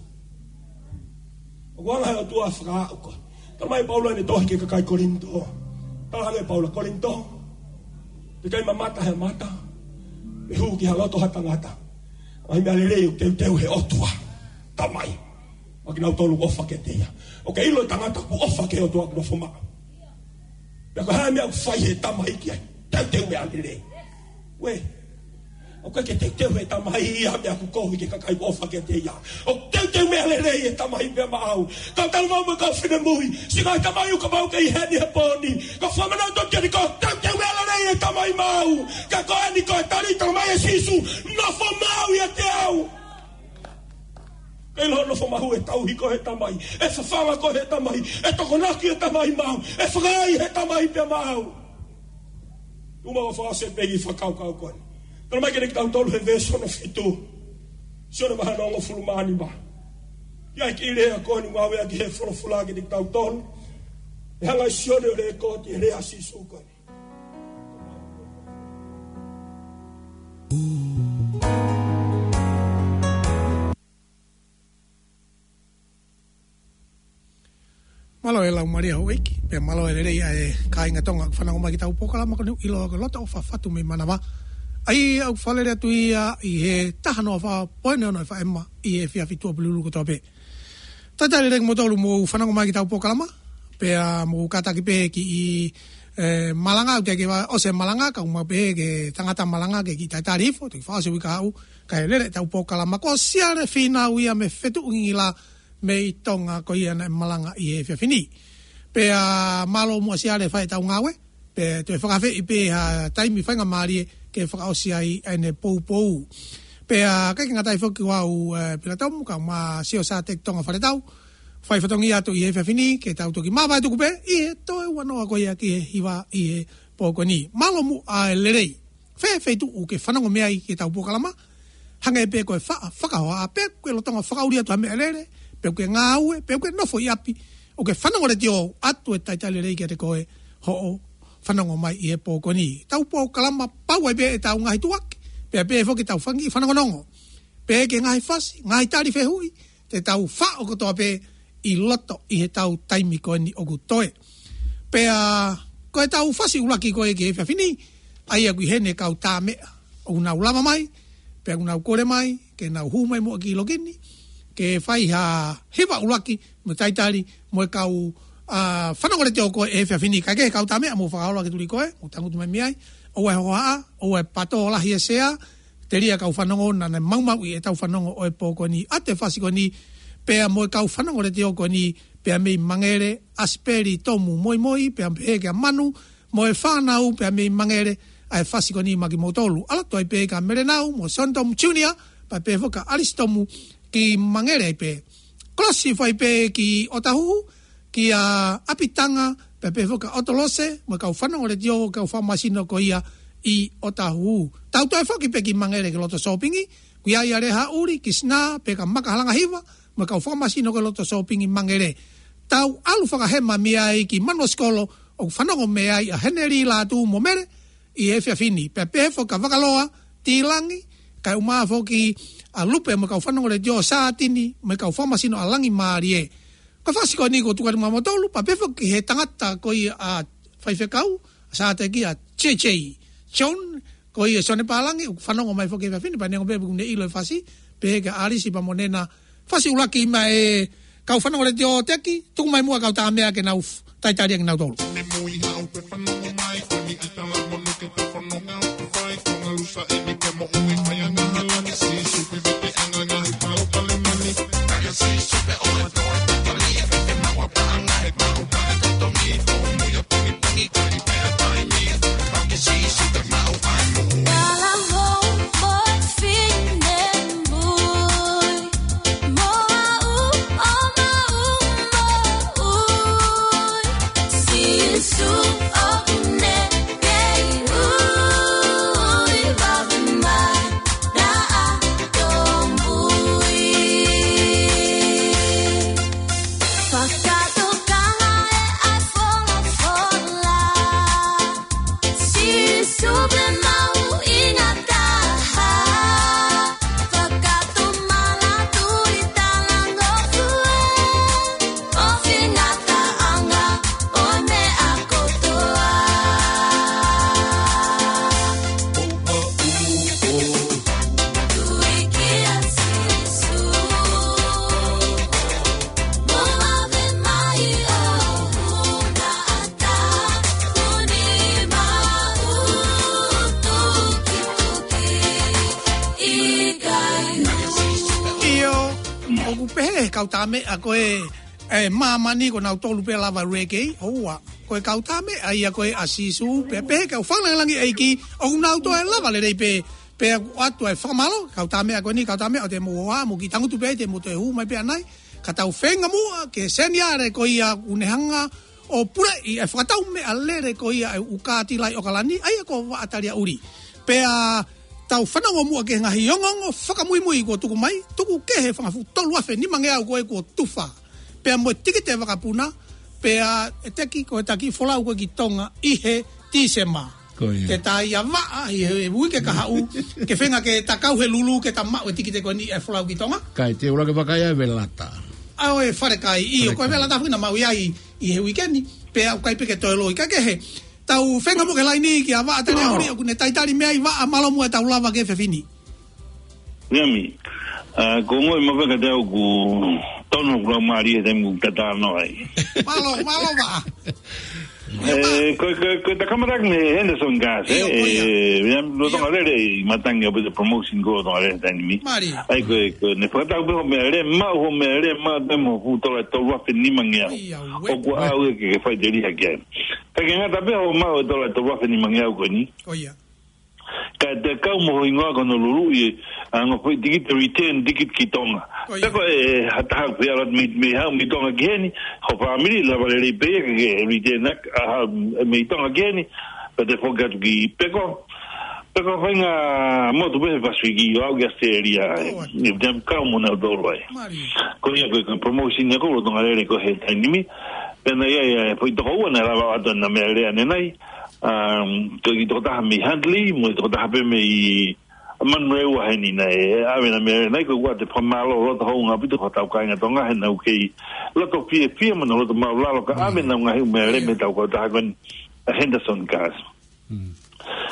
ʻOku anga he ʻOtua ʻo fakaaʻu koe. Talamai ʻe Paula ʻi heʻene tohi ki he kakai Kolinitō. Talaange ʻe Paula, Kolinitō, ʻikai mamata he mata, pe hū ki ha loto ha tangata, ʻa e meʻa lelei ʻoku teuteu ʻe he ʻOtua Tamai maʻa kinautolu ʻoku ʻofa kiate ia. ʻOku ke ʻilo e tangata ʻoku ʻofa ki he ʻOtua ʻoku nofo maʻu? Pea ko e hā e meʻa ʻoku fai ʻe he Tamai ki ai? Teuteu meʻa lelei. Uē, ʻoku ʻikai ke teuteu ʻe he Tamai ia ha meʻa ʻoku kovi ki he kakai ʻoku ʻofa kiate ia. ʻOku teuteu meʻa lelei ʻe he Tamai pea maʻau. Kau talavou mo e kau finemui, siʻi ngaahi tamai ʻoku ke maʻu ʻi heni he pō ni, kau fakamanatu atu kiate koe, teuteu meʻa lelei ʻe Tamai maʻau, ka ko eni ko e tali, talamai ʻe Sīsū, nofo maʻu ʻiate au. Ke ʻilo nofo maʻu ʻe tauhi koe ʻe he Tamai, ʻe fafanga koe ʻe he Tamai, ʻe tokonaki ʻe he Tamai maʻau, ʻe fakaai ʻe he Tamai pē maʻau. Uma o fase pegi fakakaukau ko eni. Talamai kiate kitautolu he veesi hono fitu. Sione vahe hongofulu mā nima. ʻI ai e kiʻi lea ko eni ngāueʻaki he folofola kiate kitautolu. ʻE hanga ʻe Sione ʻo lekooti e lea ʻa Sīsū ko eni. Mālō e laumālie houʻeiki, pea mālō e lelei ʻa e kāinga Tonga, fanongo mai ki heʻetau polokalama ko eni ʻiloa ko e Loto ʻo Fafatu mei Manava. ʻA ia ʻoku fakalele atu ia ʻi he taha noa fā poini ono F M ʻi he efiafi Tuʻapulelulu kotoa pē. Talitali lelei kimoutolu hoʻomou fanongo mai ki heʻetau polokalama, pea mou kātaki pē kiʻi, e, malanga, ʻoku teʻeki ke ʻosi e malanga, ka ʻoku mau pehē ki he tangata malanga ke kiʻi talitali hifo, toki fakaʻosi e uike kahaʻu, kae lele ʻetau polokalama. Ko Siale Fīnau ia mei Fetuʻungingila mei Tonga, ko ia naʻe malanga ʻi he efiafi ni. Pea mālō muʻa Siale fai ʻetau ngāue, pea toe fakaafeʻi pē ha taimi faingamālie ke fakaʻosi ai ʻene poupou. Pea ʻikai ke ngata ai foki ko au, e, Pilatomu, kae ʻumaʻā Sio Sāteki Tonga Faletau, fai fatongia atu ʻi he efiafi ni, ke tau toki māvae tuku pē ʻi he toe ua noa ko ia ki he hiva ʻi he pō ko eni. Mālō muʻa e lelei. Fē feituʻu ke fanongo mei ai ki heʻetau polokalama, hangē pē ko e faʻa fakahohaʻa, pe ʻoku ke lolotonga fakaʻuli atu ha meʻalele, pe ʻoku ke ngāue, pe ʻoku ke nofo ʻi ʻapi, ʻoku ke fanongo letiō, ʻoatu e talitali lelei kiate koe hoʻo fanongo mai ʻi he pō ko eni. Tau polokalama pau ai pē ʻetau ngaahi tuʻuaki, pea pehē foki ʻetau fanga kiʻi fanongonongo. Pehē ki he ngaahi fasi, ngaahi tali fehuʻi, te tau faʻo kotoa pē ʻi loto ʻi heʻetau taimi ko eni ʻoku toe. Pea ko ʻetau fasi ʻuluaki ko ē ki he efiafi ni, ʻa ia ʻoku ʻi heni e kau tāmeʻa ʻoku nau lava mai, pea ʻoku nau kole mai ke nau hū mai muʻa ki loki ni, ke fai ha hiva ʻuluaki mo e talitali mo e kau, a, fanongo letiō ko ē he efiafi ni. Kae kehe kau tāmeʻa, mou fakaholo ʻa e tuli ko ē, mou tangutu mai mei ai, ʻoua ʻe hohaʻa, ʻoua ʻe pato lahi e sea, telia e kau fanongo naʻa nau maumauʻi ʻetau fanongo ʻo e pō ko eni ʻa e fasi ko eni, pea mo e kau fanongo letiō ko eni, pea mei Mangere, ʻa Sipeli Tomu Moimoi, pea pehē kia Manu, mo e fānau pea mei Mangere, ʻa e fasi ko eni maʻa kimoutolu. ʻAlu atu ai pē kia Melenau, mo Sean Tomu Junior, pea pehē foki kia ʻAlisi Tomu ki Mangere ai pē. Kolosi hifo ai pē ki ʻŌtāhuhu, kia ʻApitanga, pea pehē foki kia ʻOtolose, mo e kau fanongo letiō, kau fakamasino ko ia ʻi ʻŌtāhuhu. Tau toe foki pē ki Mangere ki he loto sōpingi, ʻoku ʻi ai ʻa Lehāʻuli, Kisinā, pea kia Maka Halangahiva, mo e kau fakamasino ko ē loto sōpingi Mangere. Tau ʻalu fakahema mei ai ki Manuʻa Sikolo, ʻoku fanongo mei ai ʻa Heneli Lātū mo Mele, ʻi he efiafi ni. Pea pehē foki kia Vakaloa, Tīlangi, kae ʻumaʻā foki ʻa Lupe mo e kau fanongo letiō, Sātini, mo e kau fakamasino ʻa Langi Mālie. Ko e fasi ko eni kuo tuku atu maʻa kimoutolu, pea pehē foki he tangata ko ia ʻa e faifekau, Sāteki, ʻa J J John, ko ia Sione Pālangi, ʻoku fanongo mai foki he efiafi ni, pea neongo pē ʻoku ne ʻilo e fasi, pehē kia ʻAlisi pea mo Nena, fasi ʻuluaki maʻa e kau fanongo letiō, Teki, tuku mai muʻa e kau tāmeʻa ke nau f-, talitali ʻaki kinautolu. ʻIo, ʻoku pehē ʻe he kau tāmeʻa ko ē ʻe māmani ko nautolu pē lava lelei, ʻoua. Ko e kau tā meʻa ia ko ē ʻa Sīsū, pea pehē ki he kau fakalangilangi ʻa e ʻEiki, ʻoku nau toe lava lelei pē, pea ʻoatu ʻa e fakamālō, kau tā meʻa ko eni, kau tā meʻa ʻoku te mou ō ā, mou kiʻi tangutu pē, te mou toe hū mai pē ʻanai, ka tau feinga muʻa ki he seniale ko ia ʻoku ne hanga ʻo puleʻi ʻa e fakatau meʻalele ko ia ʻa e ʻū kātila ʻi ʻOkalani, ʻa ia ko Vaʻa Taliaʻuli. Pea tau fanongo muʻa ki he ngaahi ongoongo fakamuimui kuo tuku mai, tuku kehe fanga fuʻu tolu afe nima ngeau ko ē kuo tufa. Pea mo e tikite vakapuna, pea ʻe teki ko e taki folau ko ē ki Tonga ʻi he Tīsema. Ko ia. Ke tā ia vaʻa, ʻi he uike kahaʻu, ke feinga ke takau he lulu, ke ta maʻu e tikite ko eni ʻe folau ki Tonga. Kai te ula ke vakai ʻa e velata. ʻA ʻo e fale kai, ʻio, Fale ko e kai. Velata fina maʻu ia ʻi, ʻi he uike ni, pea ʻoku ʻikai pē ke toe loi, ka kehe, tau feinga muʻa ki he laini kia Vaʻa Taliaʻuli, ʻoku ne talitali mei ai Vaʻa, mālō muʻa e tau lava ki he efiafi ni. Niami, ʻa, ko ngoi mafeka te au ku tonu ku lau mālie he taimi ku tatano ai. Mālō, mālō Vaʻa. ʻE, ko, ko, ko e takamataki mei Henderson Gas, ʻIo, ko ia. ʻE, ia, lolotonga lele ʻi matangi ʻo pita promotion ko lolotonga lele taimi ni. Mālie. ʻAi, ko, ko, ne fakatau pē hoʻo meʻalele, maʻu hoʻo meʻalele, maʻu te mo fuʻu tola tolu afe nima ngeau. ʻIo, ʻoku ʻaʻau ia ke, ke faʻiteliha ki ai. Ka ke ngata pē hoʻo maʻu e tola tolu afe nima ngeau ko eni. Ko ia. Ka te kau mo ho hingoa ko Honolulu ʻi, ʻa, ngaahi foʻi tikite return ticket ki Tonga. Ko ia. Pea ko e, ha taha pē ʻalu atu mei, mei haʻu mei Tonga ki heni, ho fāmili, lava lelei pē ia ke, ke return ʻaki, ʻa, mei Tonga ki heni, pea te foki atu ki Peko. Peko faʻahinga motu pē he Pasifiki, ʻo aʻu ki Australia, Ko ia. ʻi te kau mo nautolu ai. Mālie. Ko ia ko e, ko e promotion ia ko lolotonga lele ko ē he taimi ni. Pea naʻe ʻi ai, ʻi ai, foʻi toko ua naʻe lava atu ʻena meʻalele ʻanenai. Um, ko e kiʻi tokotaha mei Huntly, mo e tokotaha pē mei Manurewa heni naʻe ʻave ʻena meʻalele ʻanenai, ko ia te fakamālō loto hounga ʻaupito ki hotau kāinga Tonga, he naʻa nau kei loto fiefia mo nau loto māʻulalo ka ʻave ʻenau ngaahi ʻū meʻalele mei he tau kautaha ko eni ʻa Henderson Gas. Mm.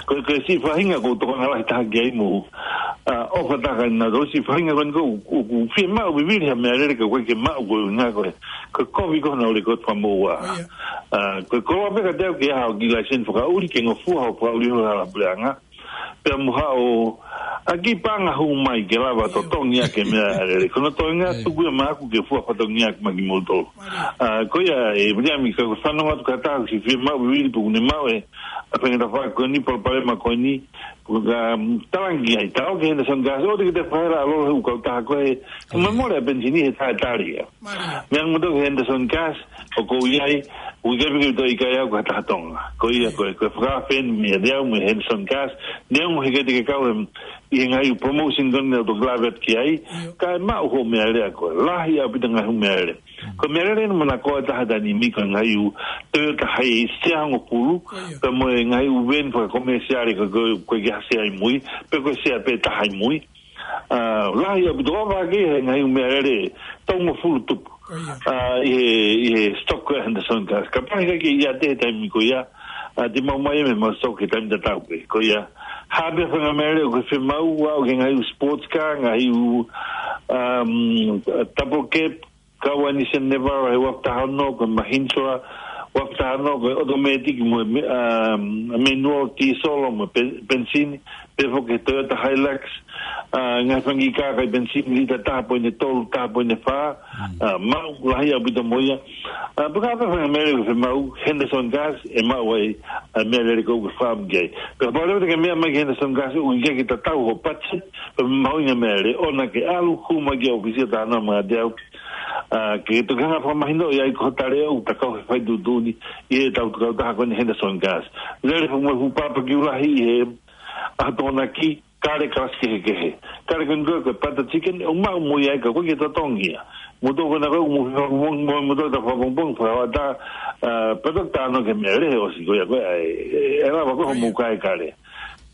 Ko, ko e siʻi faʻahinga ʻoku ou tokanga lahi taha ki ai mo, ʻa, ʻofa taha kia nautolu, siʻi faʻahinga ko eni ʻoku, ʻoku, ʻoku fiemaʻu vivili ha meʻalele ka ʻoku ʻikai ke maʻu ko e ʻuhinga ko e, ko e kovi ko ē honau lēkooti fakamoʻua. ʻIo. ʻA, ko e koloa pē kiate au ke ʻi ai haʻo kiʻi laiseni fakaʻuli ke ngofua hoʻo fakaʻuli ho hala puleʻanga. Pea mo haʻo, ʻa, kiʻi paʻanga hū mai ke lava ʻIo. totongi ʻaki e meʻalele. Ko hono toenga ʻIo. tuku ia maʻaku ke fua fatongia ʻaki maʻa kimoutolu. Mālie. ʻA, ko ia ē, Viliami, ka ko e fanongo atu ki ha taha ʻoku siʻi fiemaʻu vivili pe ʻoku ne maʻu e, ʻa, faingataʻa ko eni, palopalema ko eni, ko ka, um, talangi ai, tā ʻoku ke Henderson Gas, ʻoua te ke fakahela ʻa e lolo he ʻū kautaha ko ē, ke Ko ia. mole ʻa e penisini he taʻetali ia. Mālie. Meʻa mo toki Henderson Gas, ʻoku ou ʻi ai, ʻoku ʻikai pē ke toe ʻikai au ko ha taha Tonga. Ko ia Ko ia. ko e, ko e fakafeni mei ai au mo Henderson Gas, neongo he ʻikai te ke kau he, ʻi he ngaahi promotion ko eni naʻa ku toki lave atu ki ai, ʻIo. ka ʻe maʻu hoʻo meʻalele ko e lahi ʻaupito ngaahi ʻū meʻalele. Mm. Ko e meʻalele ʻeni manako ʻa e taha taimi ni ko e ngaahi ʻū Toyota Hiace ʻe hongofulu, Ko ia. pea mo e ngaahi ʻū veni fakakomēsiale ko, ko, ko e ke hase ai mui, pe ko e sea pē taha ai mui. ʻA, lahi ʻaupito ʻo vake he ngaahi ʻū meʻalele tolungofulu tupu. Ko ia. ʻA, ʻi he, ʻi he stock ko ē Henderson Gas. Kapau he ʻikai ke ʻiate he taimi ko ia, ʻa, te mau mai mei he mau stock he taimi tatau pē. Ko ia, ha pē faʻahinga meʻalele ʻoku ke fiemaʻu, ʻa, ʻoku ke ngaahi ʻū sports car, ngaahi ʻū, um, double cab, kau ai Nissan Navara he ua afe taha ono, ko e Mahindra ua afe taha ono, ko e automatic mo e me-, um, manual diesel mo e pe-, penisini, pehē foki ki he Toyota Hilux, ʻa, ngaahi fanga kiʻi kā ʻikai penisini lita taha poini tolu, taha poini fā, Mm. ʻa, maʻu lahi ʻaupito mo ia. ʻA, pea kapau ko e faʻahinga meʻalele ʻoku ke fiemaʻu, Henderson Gas, ʻe maʻu ai, ʻa, meʻalele ko ē ʻoku ke fakaʻamu ki ai. Pea kapau leva te ke meʻa mai ki Henderson Gas, ʻoku ʻikai ke tatau hoʻo budget, pea mahuʻinga e meʻalele, ʻoua naʻa ke ʻalu, hū mai ki he ʻōfisi ʻo talanoa maʻa au. ʻA, ke toki hanga fakamahinoʻi ai ko e tali ʻoku ta kau he fai tuʻutuʻuni ʻi he tau kautaha ko eni Henderson Gas. Lele fakamoʻui fuʻu papa ki ulahi ʻi he ʻaho Tokonaki, kale kalasi kehekehe. Kale ko eni ko e, ko e butter chicken, ʻoku maʻu mo ia ka ʻoku ʻikai ke totongi ia. Mo toki ko ena ko e, mo, mo, mo, mo toki ta fakapongipongi, fakaʻatā, ʻa, pea toki talanoa ki he meʻalele he ʻosi ko ia ko e, ʻa e, ʻe, ʻe lava ko ē hoʻomou kai kale.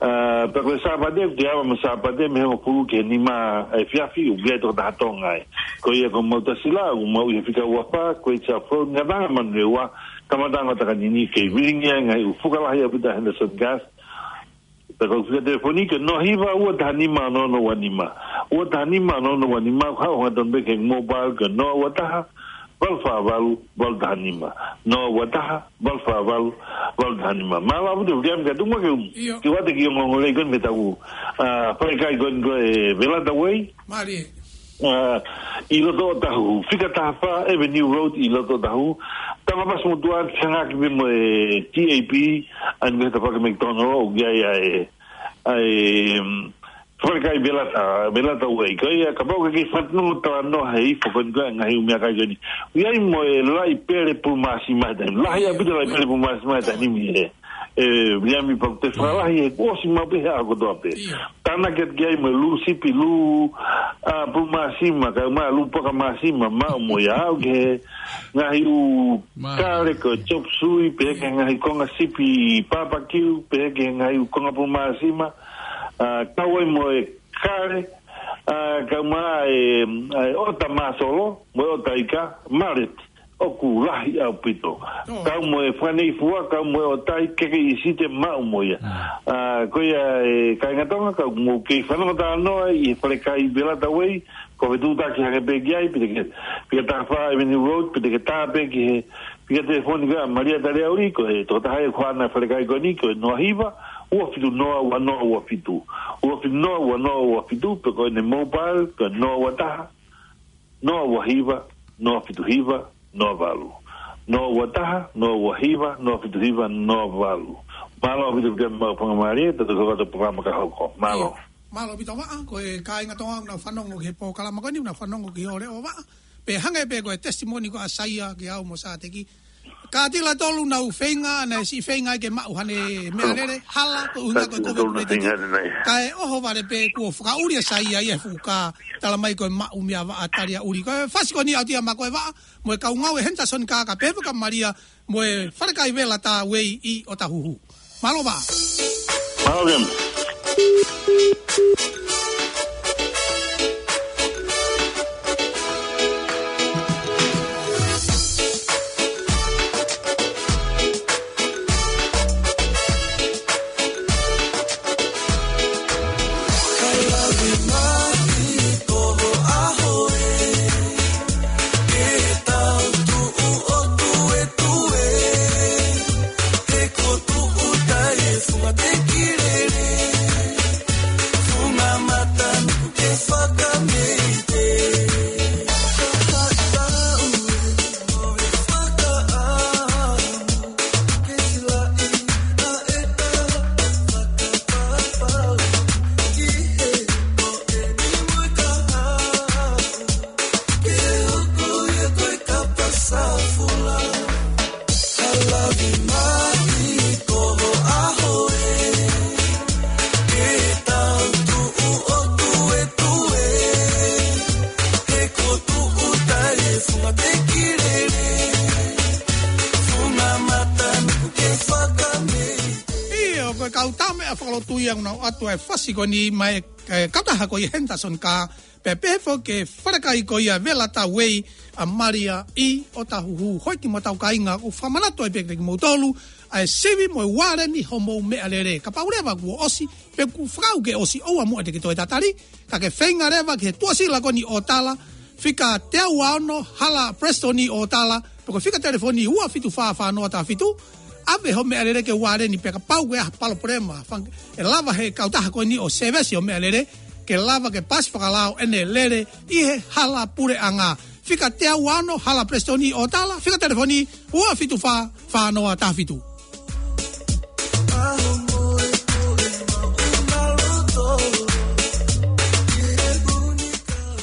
ʻA, pea ko e Sāpate, ʻoku te ava mo e Sāpate, mei he hongofulu ki he nima efiafi, ʻoku ʻi ai e tokotaha Tonga ai. Ko ia ko Mautasi Lā, ʻoku maʻu ʻi he fika ua fā, ko e Itza Float, Ngataʻanga Manurewa, kamataʻanga ʻo Takanini, kei vilingia e ngaahi ʻū fuka lahi ʻaupito ʻa Henderson Gas. Pea ko e fika telefoni ko e noa hiva ua taha nima ono ono ua nima. Ua taha nima ono ono ua nima, ʻoku haʻu hangatonu pē ki he mobile ko e noa ua taha, valu fā valu, valu taha nima. Noa ua taha, valu fā valu, valu taha nima. Mālō ʻaupito, Viliami, ka tuku muʻa ke u, ʻIo. ke u ʻoatu e kiʻi ongoongo lelei ko eni mei he tau, ʻa, falekai ko eni ko e Velata Way. Mālie. ʻa, ʻi loto ʻOtahuhu, fika taha fā Avenue Road ʻi loto ʻOtahuhu. Tama pasi mo tuan fihangaki me mo e T A P, ʻa eni me he tafaʻaki McDonald, ʻoku ʻi ai ʻa e, ʻa e, mm, falekai Velata, Velata Way. Ko ia, kapau ʻoku ke fanongo talanoa he ifo ko eni ko e ngaahi ʻū meʻakai ko eni. ʻOku ʻi ai mo e laʻi pele pulu māsima he taimi. Lahi ʻaupito laʻi pele pulu māsima he taimi ē. ʻE, Viliami Paku, te fakalahi he kuo ʻosi maʻu pē he ʻaho kotoa pē. ʻIo. Tānaki atu ki ai mo e lū sipi, lū, ʻa, pulu māsima, kae ʻumaʻā lū poka māsima, maʻu mo ia, aʻu ki he ngaahi ʻū kale ko e chop suey, pehē ki he ngaahi konga sipi papakiu, pehē ki he ngaahi ʻū konga pulu māsima, ʻa, kau ai mo e kale, ʻa, kae ʻumaʻā e, ʻa e ʻota māsolo, mo e ʻota ika, mallet, ʻoku lahi ʻaupito. Kau mo e fakaneifua, kau mo e ʻotai, keke ʻi site maʻu mo ia. ʻA, ko ia e kāinga Tonga, ka mou kei fanongo talanoa ʻi he falekai Velata Way, ko e fetuʻutaki hake pē ki ai, pe te ke, fika taha fā Avenue Road, pe te ke tā pē ki he, fika telefoni ko ia ʻa Malia Taliauli, ko e tokotaha ia ko ʻene falekai ko eni, ko e noa hiva, ua fitu noa, ua noa ua fitu. Ua fitu noa, ua noa ua fitu, pe ko ʻene mobile, ko e noa ua taha, noa ua hiva, noa fitu hiva, noa valu. Noa ua taha, noa ua hiva, noa fitu hiva, noa valu. Mālō ʻaupito pē maʻu fanga mālie, tau toki hoko atu polokalama ka hoko. Mālō. Mālō ʻaupito Vaʻa, ko e kāinga Tonga ʻoku nau fanongo ki he polokalama ko eni, nau fanongo ki he ʻofa ʻa Vaʻa. Pea hangē pē ko e testimony ko ē ʻa Saia ki au mo Sāteki. Kātaki tolu nau feinga, naʻe siʻi feinga ke maʻu haʻane meʻalele, hala, ko e ʻuhinga ko e Kātaki tolu nau feinga, koviti naʻe. Kae ʻohovale pē kuo fakaʻuli ʻa Saia ia he fuka, tala mai ko e maʻu meia Vaʻa Taliauli. Ko e fasi ko eni ʻaʻaku ia mo koe Vaʻa, mo e kau ngāue ʻa Henderson Kaa, ka pehē foki kia Malia, mo e falekai Velata Way ʻi ʻOtahuhu. Mālō Vaʻa. Mālō Viliami. ʻIo, ko e kau tau meʻa fakalotu ia ʻoku nau ʻoatu e fasi ko eni mai, e, kautaha ko ia Henderson Kaa, pea pehē foki ki he falekai ko ia Velata Way ʻa Malia ʻi ʻOtahuhu. Hoi ki mo tau kāinga, ʻoku fakamanatu ai pē kiate kimoutolu ʻa e sivi mo e ualeni hoʻomou meʻalele. Kapau leva kuo ʻosi, pe kuo fakaʻau ke ʻosi, ʻoua muʻa te ke toe tatali, ka ke feinga leva ki he tuʻasila ko eni ʻo tala, fika teau ua ono, Hala Preston ʻo tala, pe ko e fika telefoni ua fitu fā fā noa taha fitu, ʻave hoʻo meʻalele ke ualeni pea kapau ko e hā e palopalema, fang-, ʻe lava he kautaha ko eni ʻo sēvesi hoʻo meʻalele, ke lava ke pasi fakalao ʻene lele ʻi he hala puleʻanga. Fika teau ua ono, Hala Preston ʻo tala, fika telefoni ua fitu fā fā noa taha fitu.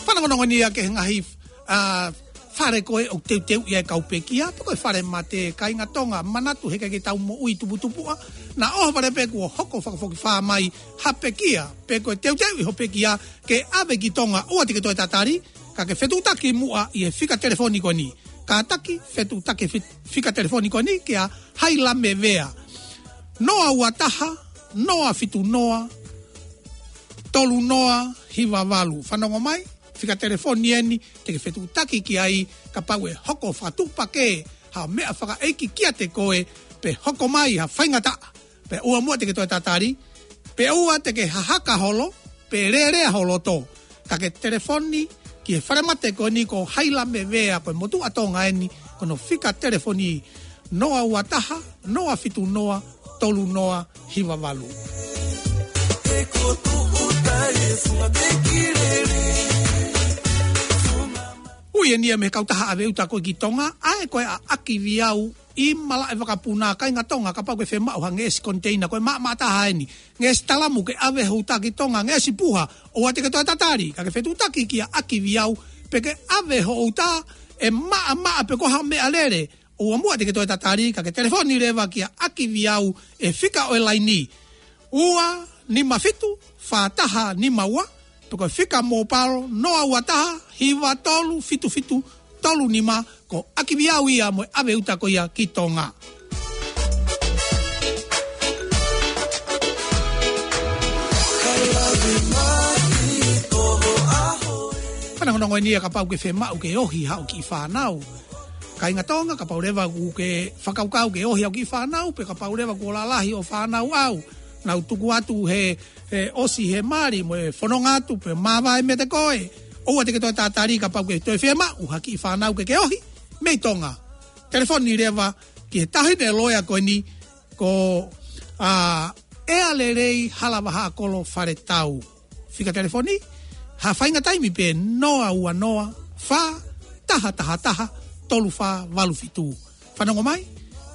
Fanongonongo ni ia ki he ngaahi, ʻa, fale ko ē ʻoku teuteuʻi ai e kau pekia, pe ko e fale mate, kāinga Tonga, manatu he ʻikai ke tau moʻui tuputupuʻa, naʻa ʻohovale pē kuo hoko fakafokifā mai ha pekia, pe ko e teuteuʻi hoʻo pekia, ke ʻave ki Tonga, ʻoua te ke toe tatali, ka ke fetuʻutaki muʻa ʻi he fika telefoni ko eni. Kātaki fetuʻutaki fi-, fika telefoni ko eni kia Hailame Vea. Noa ua taha, noa fitu noa, tolu noa hiva valu. Fanongo mai, fika telefoni eni, te ke fetuʻutaki ki ai, kapau ʻe hoko fakatuʻupakē ha meʻa fakaʻeiki kiate koe, pe hoko mai ha faingataʻa, pea ʻoua muʻa te ke toe tatali, pe ʻoua te ke hahaka holo, pe lēlea ho loto. Ka ke telefoni ki he fale mate ko eni ko Hailame Vea, ko e motuʻa Tonga eni, ko hono fika telefoni noa ua taha, noa fitu noa, tolu noa hiva valu. He ko tuʻu tai e funga te kilele. Ui eni ia mei he kautaha ʻave uta ko ē ki Tonga, ʻa ē ko ē ʻa ʻAkiviau ʻi Malaʻevakapuna, kāinga Tonga, kapau ʻoku ke fiemaʻu ha ngeʻesi koniteina, ko e maʻamaʻa taha eni, ngeʻesi talamu ke ʻave ho uta ki Tonga, ngeʻesi puha, ʻoua te ke toe tatali, ka ke fetuʻutaki kia ʻAkiviau, pe ke ʻave ho uta ʻe maʻamaʻa pe ko ha meʻalele, ʻoua muʻa te ke toe tatali, ka ke telefoni leva kia ʻAkiviau ʻi he fika ʻo e laini, ua nima fitu, fā taha nima ua, pe ko e fika mobile, noa ua taha, hiva tolu fitu fitu tolu nima, ko ʻAkiviau ia mo e ʻave uta ko ia ki Tonga. Fanongonongo eni ia kapau ʻoku ke fiemaʻu ke ohi haʻo kiʻi fānau. Kāinga Tonga, kapau leva ʻoku ke fakakaukau ke ohi haʻo kiʻi fānau, pe kapau leva kuo lalahi hoʻo fānau ʻau, nau tuku atu he, he ʻosi he mali mo e fononga atu, pe māvae meiate koe, ʻoua te ke toe tatali kapau ʻoku ke toe fiemaʻu ha kiʻi fānau ke ke ohi mei Tonga. Telefoni leva ki he taʻahine loea ko eni, ko, ā, ʻEa Lelei Halavahakolo Faletau. Fika telefoni, ha faʻahinga taimi pē, noa ua noa, fā taha taha taha, tolu fā valu fitu. Fanongo mai,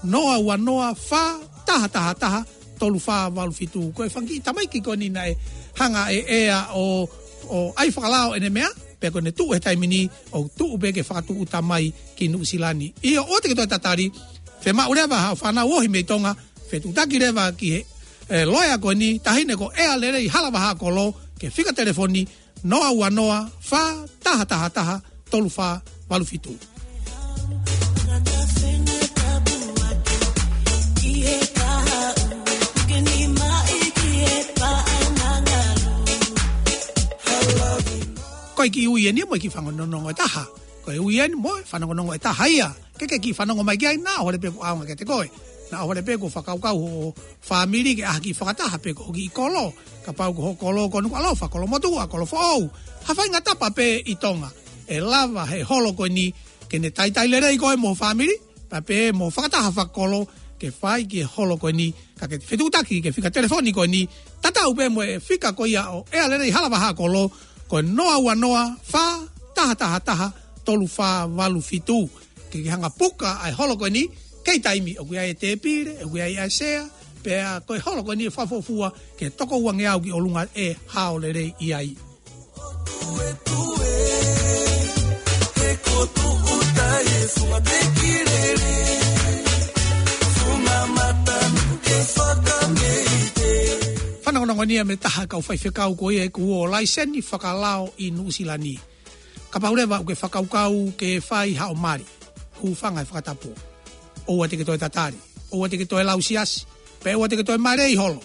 noa ua noa, fā taha taha taha, tolu fā valu fitu. Ko e fanga kiʻi tamaiki ko eni naʻe hanga ʻe ʻEa ʻo, ʻo ʻai fakalao ʻene meʻa, pea ko ʻene tuʻu he taimi ni, ʻo tuʻu pē ke fakatuʻuta mai ki Nuʻusila ni. ʻIo, ʻoua te ke toe tatali, fiemaʻu leva haʻo fānau ohi mei Tonga, fetuʻutaki leva ki he, ē, loea ko eni, taʻahine ko ʻEa Lelei Halavahakolo, ki he fika telefoni, noa ua noa, fā taha taha taha, tolu fā valu fitu. Ko e kiʻi ui eni ia mo e kiʻi fanongonongo ʻe taha. Ko e ui eni mo e fanongonongo ʻe taha ia. Ke ke kiʻi fanongo mai ki ai, naʻa ʻohovale pē kuo ʻaonga kiate koe. Naʻa ʻohovale pē kuo fakakaukau ho fāmili ke ʻaʻahi fakataha pē ki ho kiʻi kolo. Kapau ko ho kolo ko Nukuʻalofa, kolo motuʻa, kolo foʻou. Ha faʻahinga tapa pē ʻi Tonga, ʻe lava he holo ko eni ke ne talitali lelei koe mo ho fāmili, pea pehē mo e fakataha fakakolo, ke fai ki he holo ko eni, ka ke fetuʻutaki ki he fika telefoni ko eni, tatau pē mo e fika ko ia ʻo ʻEa Lelei Halavahakolo, ko e noa ua noa, fā taha taha taha, tolu fā valu fitu. Ke ke hanga puka ʻa e holo ko eni, kei taimi, ʻoku ʻi ai e tēpile, ʻoku ʻi ai ʻa e sea, pea ko e holo ko eni ʻe fakafuofua ki he toko uangeau ki ʻolunga ʻe hao lelei ʻi ai. Fanongonongo eni ia mei he taha kau faifekau ko ia ʻoku ō laiseni fakalao ʻi Nuʻusila ni. Kapau leva ʻoku ke fakakaukau ke fai haʻo mali, hūfanga he fakatapu. ʻOua te ke toe tatali, ʻoua te ke toe lau siasi, pea ʻoua te ke toe mali holo.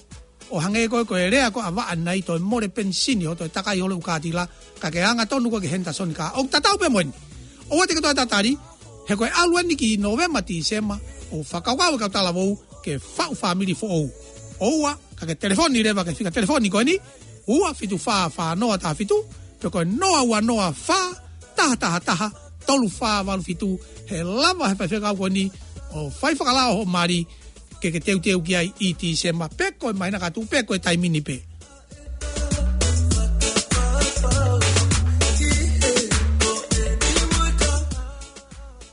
ʻO hangē ko e, ko e lea ko ē ʻa Vaʻa ʻi he toe mole penisini hoʻo toe takai holo ʻū kātila, ka ke angatonu koe ki he Henderson ka ʻoku tatau pē mo eni. ʻOua te ke toe tatali, he ko e ʻalu eni ki Nōvema, Tīsema, ʻo fakakaukau e kau talavou ke faʻu fāmili foʻou. ʻOua, ka ke telefoni leva ki he fika telefoni ko eni, ua fitu fā fā noa taha fitu, pe ko e noa ua noa fā taha taha taha, tolu fā valu fitu, he lava he faifekau ko eni ʻo fai fakalao hoʻo mali, ke ke teuteu ki ai ʻi Tīsema, pe ko e māhina ka tuʻu, pe ko e taimi ni pē.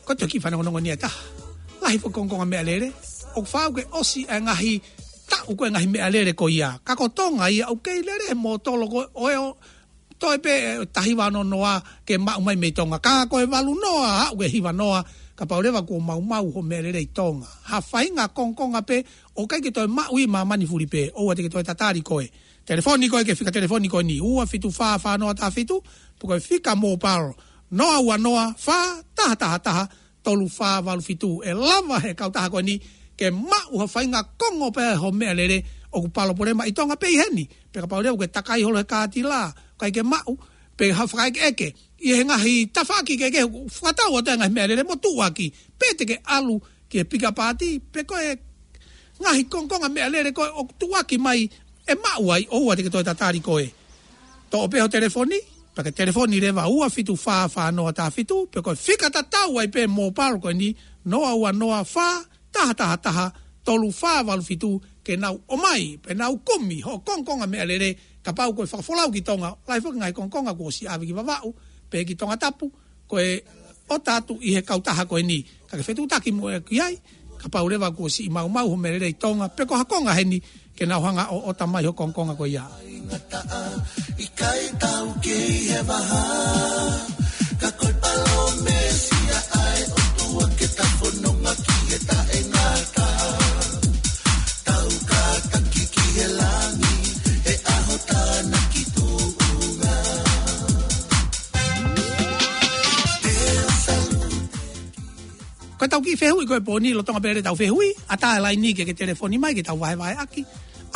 Ko e toki fanongonongo eni ʻe taha. Lahi foki e kongokonga meʻalele, ʻoku faʻa ke ʻosi e ngaahi taʻu ko e ngaahi meʻalele ko ia. Ka ko Tonga ia ʻoku kei lele he mōtolo ko ē ʻo e ʻo toe pē, ē, taha hiva ono noa ke maʻu mai mei Tonga. Ka ko e valu noa, aʻu ki he hiva noa, kapau leva kuo maumau hoʻo meʻalele ʻi Tonga. Ha faʻahinga kongokonga pē, ʻoku ʻikai ke toe maʻu ʻi māmani fulipē, ʻoua te ke toe tatali koe. Telefoni koe ki he fika telefoni ko eni, ua fitu fā fā noa taha fitu, pe ko e fika mobile, noa ua noa, fā taha taha taha, tolu fā valu fitu. ʻE lava he kautaha ko eni ke maʻu ha faʻahinga kongo pē hoʻo meʻalele ʻoku palopalema ʻi Tonga pe ʻi heni. Pe kapau leva ʻoku ke takai holo he kātila, ʻikai ke maʻu, pe ha fakaʻekeʻeke ʻi he ngaahi tafaʻaki kehekehe, fakatau atu e ngaahi meʻalele mo tuʻuaki, pe te ke ʻalu ki he pika pāti, pe ko e ngaahi kongokonga meʻalele ko ē ʻoku tuʻuaki mai ʻe maʻu ai, ʻoua te ke toe tatali koe. Toʻo pē hoʻo telefoni, pea ke telefoni leva ua fitu fā fā noa taha fitu, pe ko e fika tatau ai pē mobile ko eni, noa ua noa fā taha taha taha, tolu fā valu fitu, ke nau ʻomai, pe nau kumi hoʻo kongokonga meʻalele, kapau ko e fakafolau ki Tonga, lahi foki e ngaahi kongokonga kuo ʻosi ʻave ki Vavaʻu, pe ki Tongatapu, ko e ʻota atu ʻi he kautaha ko eni. Ka ke fetuʻutaki mo e ki ai, kapau leva kuo siʻi maumau ho meʻa lelei Tonga, pe ko ha konga heni, ke nau hanga ʻo ʻota mai ho kongokonga ko ia. ʻIkai tau kei he vaha, ka ko e palōmesi ʻa e ʻOtua ke ta fononga ki he taʻengata. Tau kātaki ki he langi, he ʻaho tānaki tuʻunga. Ko e tau kiʻi fehuʻi ko e pōni, lolotonga pē lele ʻetau fehuʻi, ʻatā e laini ke ke telefoni mai, ke tau vahevaheʻaki.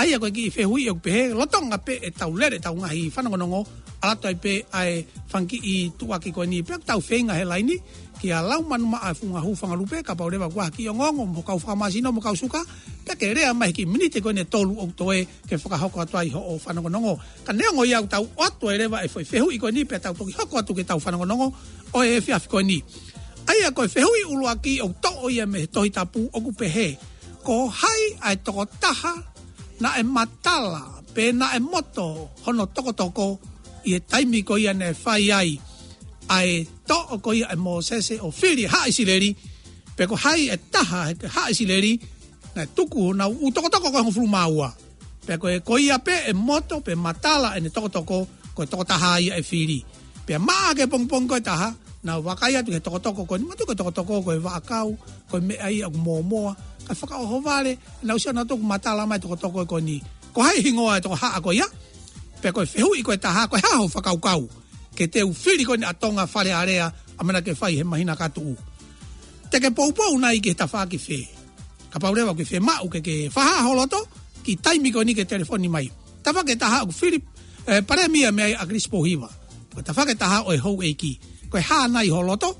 ʻA ia ko e kiʻi fehuʻi ʻoku pehē, lolotonga pē ʻetau lele ʻetau ngaahi fanongonongo, ʻalu atu ai pē ʻa e fanga kiʻi tuʻuaki ko eni, pea tau feinga he laini, kia Laumanu Maʻa Funga Hū Fanga Lupe, kapau leva kuo ʻi ai ha kiʻi ongoongo mo e kau fakamāsino mo e kau suka, pea ke lea mai he kiʻi miniti ko eni ʻe tolu ʻoku toe ke fakahoko atu ai hoʻo fanongonongo. Ka neongo ia ʻoku tau ʻoatu ai leva e foʻi fehuʻi ko eni pea tau toki hoko atu ki heʻetau fanongonongo ʻo e efiafi ko eni. ʻA ia ko e fehuʻi ʻuluaki ʻoku toʻo ia mei he Tohi Tapu ʻoku pehē, ko hai ʻa e tokotaha naʻe matala pe naʻe moto hono tokotoko ʻi he taimi ko ia naʻe fai ai ʻa e toʻo ko ia ʻe Mōsese ʻo fili e haʻa ʻIsileli, pe ko hai e taha he haʻa ʻIsileli naʻe tuku honau ʻū tokotoko ko e hongofulu mā ua. Pea ko e, ko ia pē ʻe moto pe matala ʻene tokotoko, ko e tokotaha ia ʻe fili. Pea maʻa ki he pongipongi ko e taha, nau vakai atu ki he tokotoko ko eni, manatuʻi ko e tokotoko ko e vaʻakau, ko e meʻa ia ʻoku mōmoa, kae fakaʻohovale, nau sio nautolu ʻoku matala mai e tokotoko ko eni. Ko hai hingoa e tokohaʻa ko ia? Pea ko e fehuʻi ko e taha, ko e hā hoʻo fakakaukau ke teu fili ko eni ʻa Tonga Fale Alea, ʻamanaki ke fai he māhina ka tuʻu? Te ke poupou nai ki he tafaʻaki fē? Kapau leva ʻoku ke fiemaʻu ke ke fakahā ho loto, kiʻi taimi ko eni ke telefoni mai. Tafaʻaki ʻe taha ʻoku fili, eh, palēmia mei ai ʻa ʻAkilisi Pōhiva. Ko e tafaʻaki ʻe taha ʻo e houʻeiki. Ko e hā nai ho loto,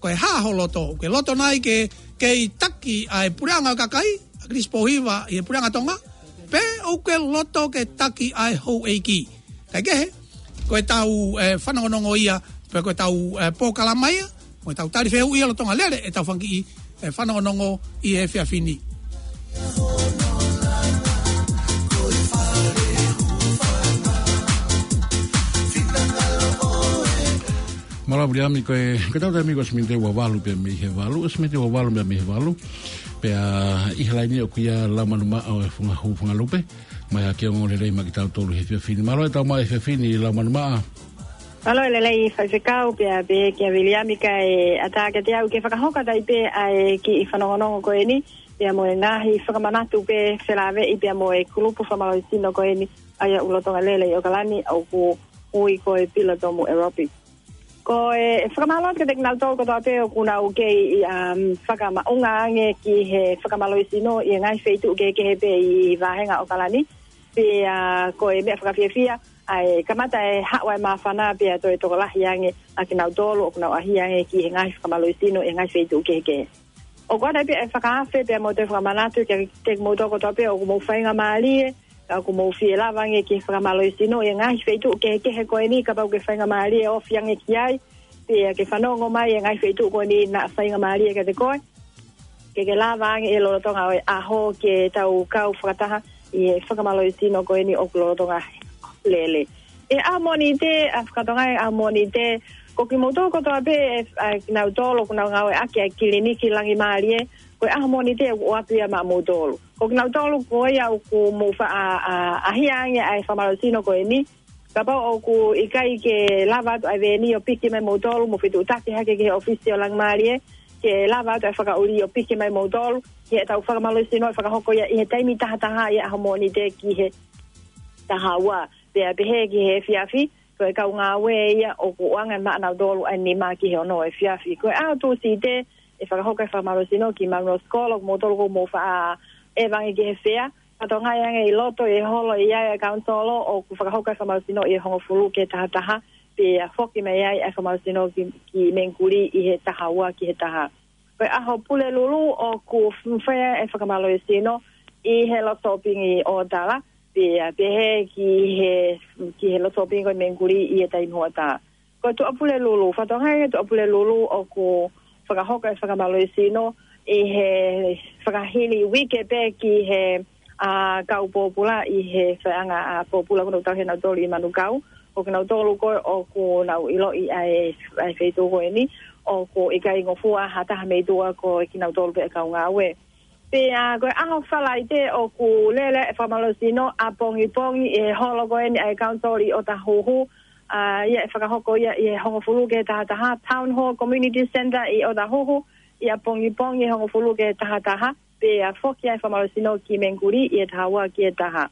ko e hā ho loto, ʻoku ke loto nai ke, ke kei taki ʻa e puleʻanga ʻo e kakai, ʻAkilisi Pōhiva ʻi he puleʻanga Tonga, pe ʻoku ke loto ke taki ʻa e houʻeiki. Kae kehe, ko ʻetau, eh, fanongonongo ia, pe ko ʻetau, eh, polokalama ia, mo ʻetau tali fehuʻi ia lolotonga lele ʻetau fanga kiʻi, eh, fanongonongo ʻi he efiafi ni. Mālō Viliami, ko e, ko ʻetau taimi ko e ʻosi miniti ua valu pē mei he valu, ʻosi miniti ua valu pē mei he valu. Pea ʻi he laini ʻoku ʻi ai Laumanu Maʻa ʻo e Funga Hū Fanga Lupe. Mai ā ke ongoongolelei maʻa kitautolu he efiafi ni. Mālō e tau mai he efiafi ni Laumanu Maʻa. Mālō e lelei Faifekau, pea pehē kia Viliami kae ʻatā kiate au ke fakahoko atu ai pē ʻa e kiʻi fanongonongo ko eni, pea mo e ngaahi fakamanatu pē felāveʻi pea mo e kulupu fakamālohisino ko eni, ʻa ia ʻoku lolotonga lele ʻi ʻOkalani ʻoku ui ko e Pilotomu Aerobic. Ko e fakamālō atu kiate kinautolu kotoa pē ʻoku nau kei, um, fakamaʻunga ange ki he fakamālohisino ʻi he ngaahi feituʻu kehekehe pē ʻi he vāhenga ʻOkalani. Pea, uh, ko e meʻa fakafiefia, ʻa e kamata e haʻu ʻa e māfana pea toe tokolahi ange ʻa kinautolu ʻoku nau ʻaʻahi ange ki he ngaahi fakamālohisino ʻi he ngaahi feituʻu kehekehe. ʻOku ʻoatu ai pē ʻa e fakaafe pea mo e toe fakamanatu kiate kimoutolu kotoa pē ʻoku mou faingamālie, ka ʻoku mou fie lava ange ki he fakamālohisino ʻi he ngaahi feituʻu kehekehe ko eni, kapau ʻoku ke faingamālie ʻo ofi ange ki ai, pea ke fanongo mai ʻi he ngaahi feituʻu ko eni naʻa faingamālie kiate koe, ke ke lava ange ʻi he lolotonga ʻo e ʻaho ke tau kau fakataha ʻi he fakamālohisino ko eni ʻoku lolotonga lele. ʻI he ʻaho Mōnite, ʻa e fakatokangaʻi ʻaho Mōnite, ko kimoutolu kotoa pē, ʻa kinautolu ʻoku nau ngāueʻaki ʻa e kiliniki Langimālie, ko e ʻaho Mōnite ʻoku ʻoatu ia maʻamoutolu. Ko kinautolu ko ia ʻoku mou faʻa, ʻa, ʻaʻahi ange ʻa e fakamālohisino ko eni, kapau ʻoku ʻikai ke lava atu ʻa e veni ʻo piki mai moutolu, mou fetuʻutaki hake ki he ʻōfisi ʻo Langimālie, ke lava atu ʻa e fakaʻuli ʻo piki mai moutolu, ki heʻetau fakamālohisino ʻe fakahoko ia ʻi he taimi taha taha ʻi he ʻaho Mōnite ki he taha ua. Pea pehē ki he efiafi, ko e kau ngāue ia ʻoku ʻoange maʻanautolu ʻa e nima ki he ono efiafi. Ko e ʻaho Tūsite, ʻe fakahoko e fakamālohisino ki Manuosikolo, ko moutolu ʻoku mou faʻa ʻeva ange ki he fea, fakatokangaʻi ange ʻi loto ʻi he holo ʻi ai ʻa e kaunisolo ʻoku fakahoko e fakamālohisino ʻi he hongofulu ki he taha taha, pea foki mai ai ʻa e fakamālohisino ki, ki Mengkuli ʻi he taha ua ki he taha. Ko e ʻaho Pulelulu ʻoku f-, fai ai e fakamālohisino ʻi he loto sōpingi ʻOtala, pea pehē ki he, ki he loto sōpingi ko e Mengkuli ʻi he taimi hoʻatā. Ko e Tuʻapulelulu, fakatokangaʻi e Tuʻapulelulu ʻoku fakahoko e fakamālohisino ʻi he fakahili uike pē ki he, ʻa, kau pōpula ʻi he faiʻanga, ʻa, pōpula ko ē ʻoku tauhi ʻe nautolu ʻi Manukau. Ko kinautolu ko ē ʻoku nau ʻiloʻi ʻa e, ʻa e feituʻu ko eni, ʻoku ʻikai ngofua ha taha mei tuʻa, ko kinautolu pē ʻa e kau ngāue. Pea ko e ʻaho Falaite ʻoku lele e fakamālohisino ʻapongipongi ʻi he holo ko eni ʻa e council ʻi ʻOtahuhu. ʻA ia ʻe fakahoko ia ʻi he hongofulu ki he taha taha, Town Hall Community Centre ʻi ʻOtahuhu, ʻapongipongi ʻi he hongofulu ki he taha taha, pea foki ʻa e fakamālohisino ki Mengkuli ʻi he taha ua ki he taha.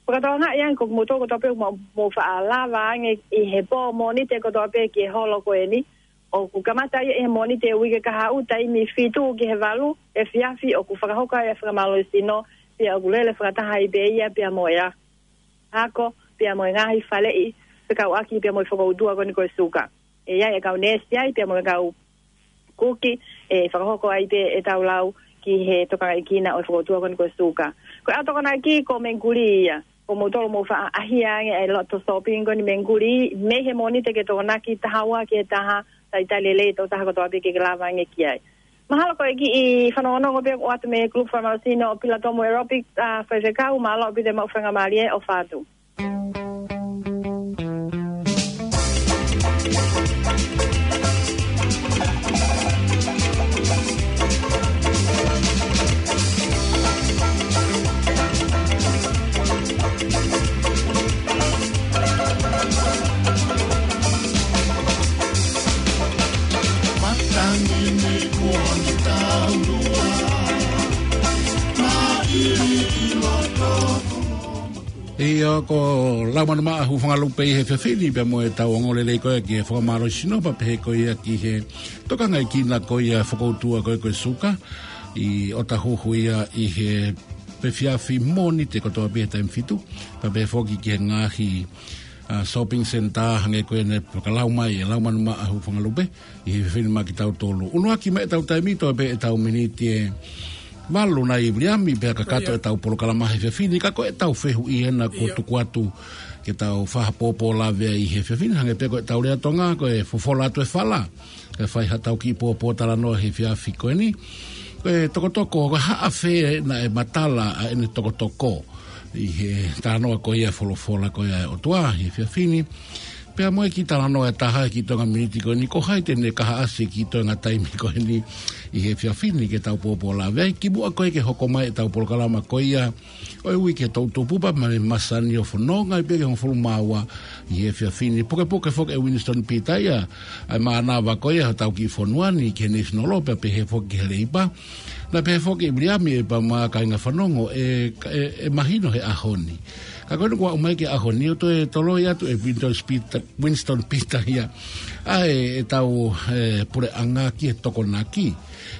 Fakatokangaʻi ange ko kimoutolu kotoa pē ʻoku mou, mou faʻa lava ange ʻi he pō Mōnite kotoa pē ki he holo ko eni, ʻoku kamata ia ʻi he Mōnite uike kahaʻu taimi fitu ki he valu efiafi, ʻoku fakahoko ai ʻa e fakamālohisino, pea ʻoku lele fakataha ai pē ia pea mo e ako, pea mo e ngaahi faleʻi, fekauʻaki pea mo e fokoutua ko eni ko e suka. ʻE ʻi ai e kau neesi ai, pea mo e kau kuki, ʻe fakahoko ai pē ʻetau lau ki he tokangaʻi kina ʻo e fokoutua ko eni ko e suka. Ko e ʻaho Tokonaki ko Mengkuli ia, ko moutolu mou faʻa ʻahia ange e loto shopping ko eni Mengkuli, mei he Mōnite ki he Tokonaki, taha ua ki he taha, talitali lelei e tokotaha kotoa pē ke ke lava ange ki ai. Mahalo ko e kiʻi fanongonongo pē ʻoku ʻoatu mei he kulupu fakamālohisino ʻo Pilatomu Aerobic, ʻa, Faifekau, mālō ʻaupito e maʻu faingamālie ʻo fatu. ʻIo, ko Laumanu Maʻa Hufangalupe ʻi he efiafi ni pea mo ʻetau ongoongolelei ko ia ki he fakamālohisino pea pehē ko ia ki he tokangaʻi kina ko ia fokoutua ko ia ko e suka ʻi ʻOtahuhu ia ʻi he efiafi Mōnite kotoa pē he taimi fitu. Pea pehē foki ki he ngaahi, ʻa, shopping centre hangē ko ia naʻe fakalau mai ʻe Laumanu Maʻa Hufangalupe ʻi he efiafi ni maʻa kitautolu. ʻUnuaki mai ʻetau taimi, toe pē ʻetau miniti ʻe valu nai Viliami pea kakato ʻetau polokalama he efiafi ni, ka ko ʻetau fehuʻi ena kuo tuku atu ke tau fai ha pōpō lave ai he efiafi ni, hangē pē ko ʻetau lea Tonga, ko e fofola atu e fala, ke fai haʻatau kiʻi pōpō talanoa he efiafi ko eni. Ko e tokotoko, ko e hā fē naʻe matala ai ʻene tokotoko ʻi he talanoa ko ia folofola ko ia ʻa e ʻOtua he efiafi ni. Pea mo e kiʻi talanoa ʻe taha he kiʻi toenga miniti ko eni, ko hai te ne kaihaʻasi e kiʻi toenga taimi ko eni ʻi he efiafi ni ke tau pōpō lave ai, kimuʻa ko ia ke hoko mai ʻetau polokalama ko ia ʻo e uike toʻutupu pea mo e masani ʻo fononga ai pē ki he hongofulu mā ua ʻi he efiafi ni. Pukepuke foki ʻe Winston Peter ia ʻa e mānava ko ia hotau kiʻi fonua ni ki he National Law pea pehē foki ki he Leipa. Naʻe pehē foki ʻe Viliami ʻe pea mo e kāinga fanongo ʻe, ʻe, ʻe mahino he ʻaho ni. Ka ko eni kuo aʻu mai ki he ʻaho ni ʻo toe toloi atu ʻe Winston Peter, Winston Peter ia ʻa e, ʻetau, ʻe, puleʻanga ki he Tokonaki.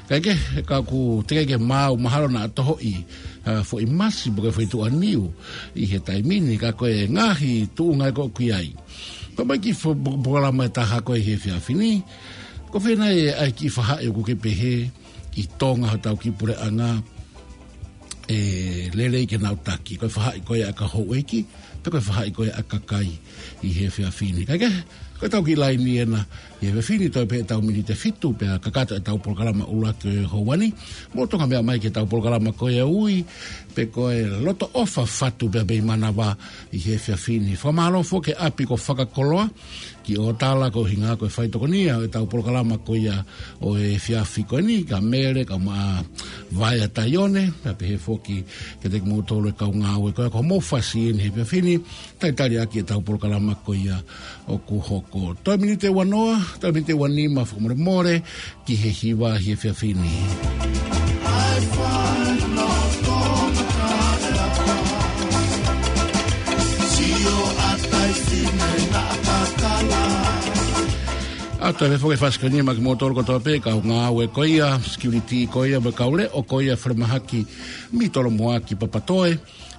Kae kehe, ka ʻoku teʻeki ke maau, mahalo naʻa tohoʻi, ʻa, foʻi masi pe ko e foʻi tuʻaniu ʻi he taimi ni, ka ko e ngaahi tuʻunga ʻoku ʻi ai. Ko e kiʻi fo-, po-, polokalama ʻe taha ko ē he efiafi ni. Ko fē nai ʻa e kiʻi faʻahi ʻoku ke pehē ʻi Tonga hotau kiʻi puleʻanga ʻe lelei ke nau taki? Ko e faʻahi ko ia ʻa e kau houʻeiki, pe ko e faʻahi ko ia ʻa e kakai ʻi he efiafi ni? Kae kehe, ko ʻetau kiʻi laini ena ʻi he efiafi ni, toe pē ʻetau miniti ʻe fitu pea kakato ʻetau polokalama ʻuluaki ʻo e houa ni. Mou tokangaʻi mai ki heʻetau polokalama ko ia ʻe ui, pe ko e Loto ʻOfa Fatu pea mei Manava ʻi he efiafi ni. Fakamālō foki ki he ʻapi ko Fakakoloa ki ʻOtala, ko e ʻuhinga ko e faitokonia ʻo ʻetau polokalama ko ia ʻo e efiafi ko eni, kia Mele, kae ʻumaʻā Vaea Taione, pea pehē foki kiate kimoutolu e kau ngāue ko ia ko hoʻomou fasi eni he efiafi ni, talitali ʻaki ʻetau polokalama ko ia ʻoku hoko. Toe miniti ʻe uanoa, toe miniti ʻe uanima fakamolemole ki he hiva he efiafi ni. ʻA, toe foki e fasi ko eni maʻa kimoutolu kotoa pē, kau ngāue ko ia, security ko ia, mo e kau leʻo ko ia, falemahaki mei Tolomoa ki Papatoe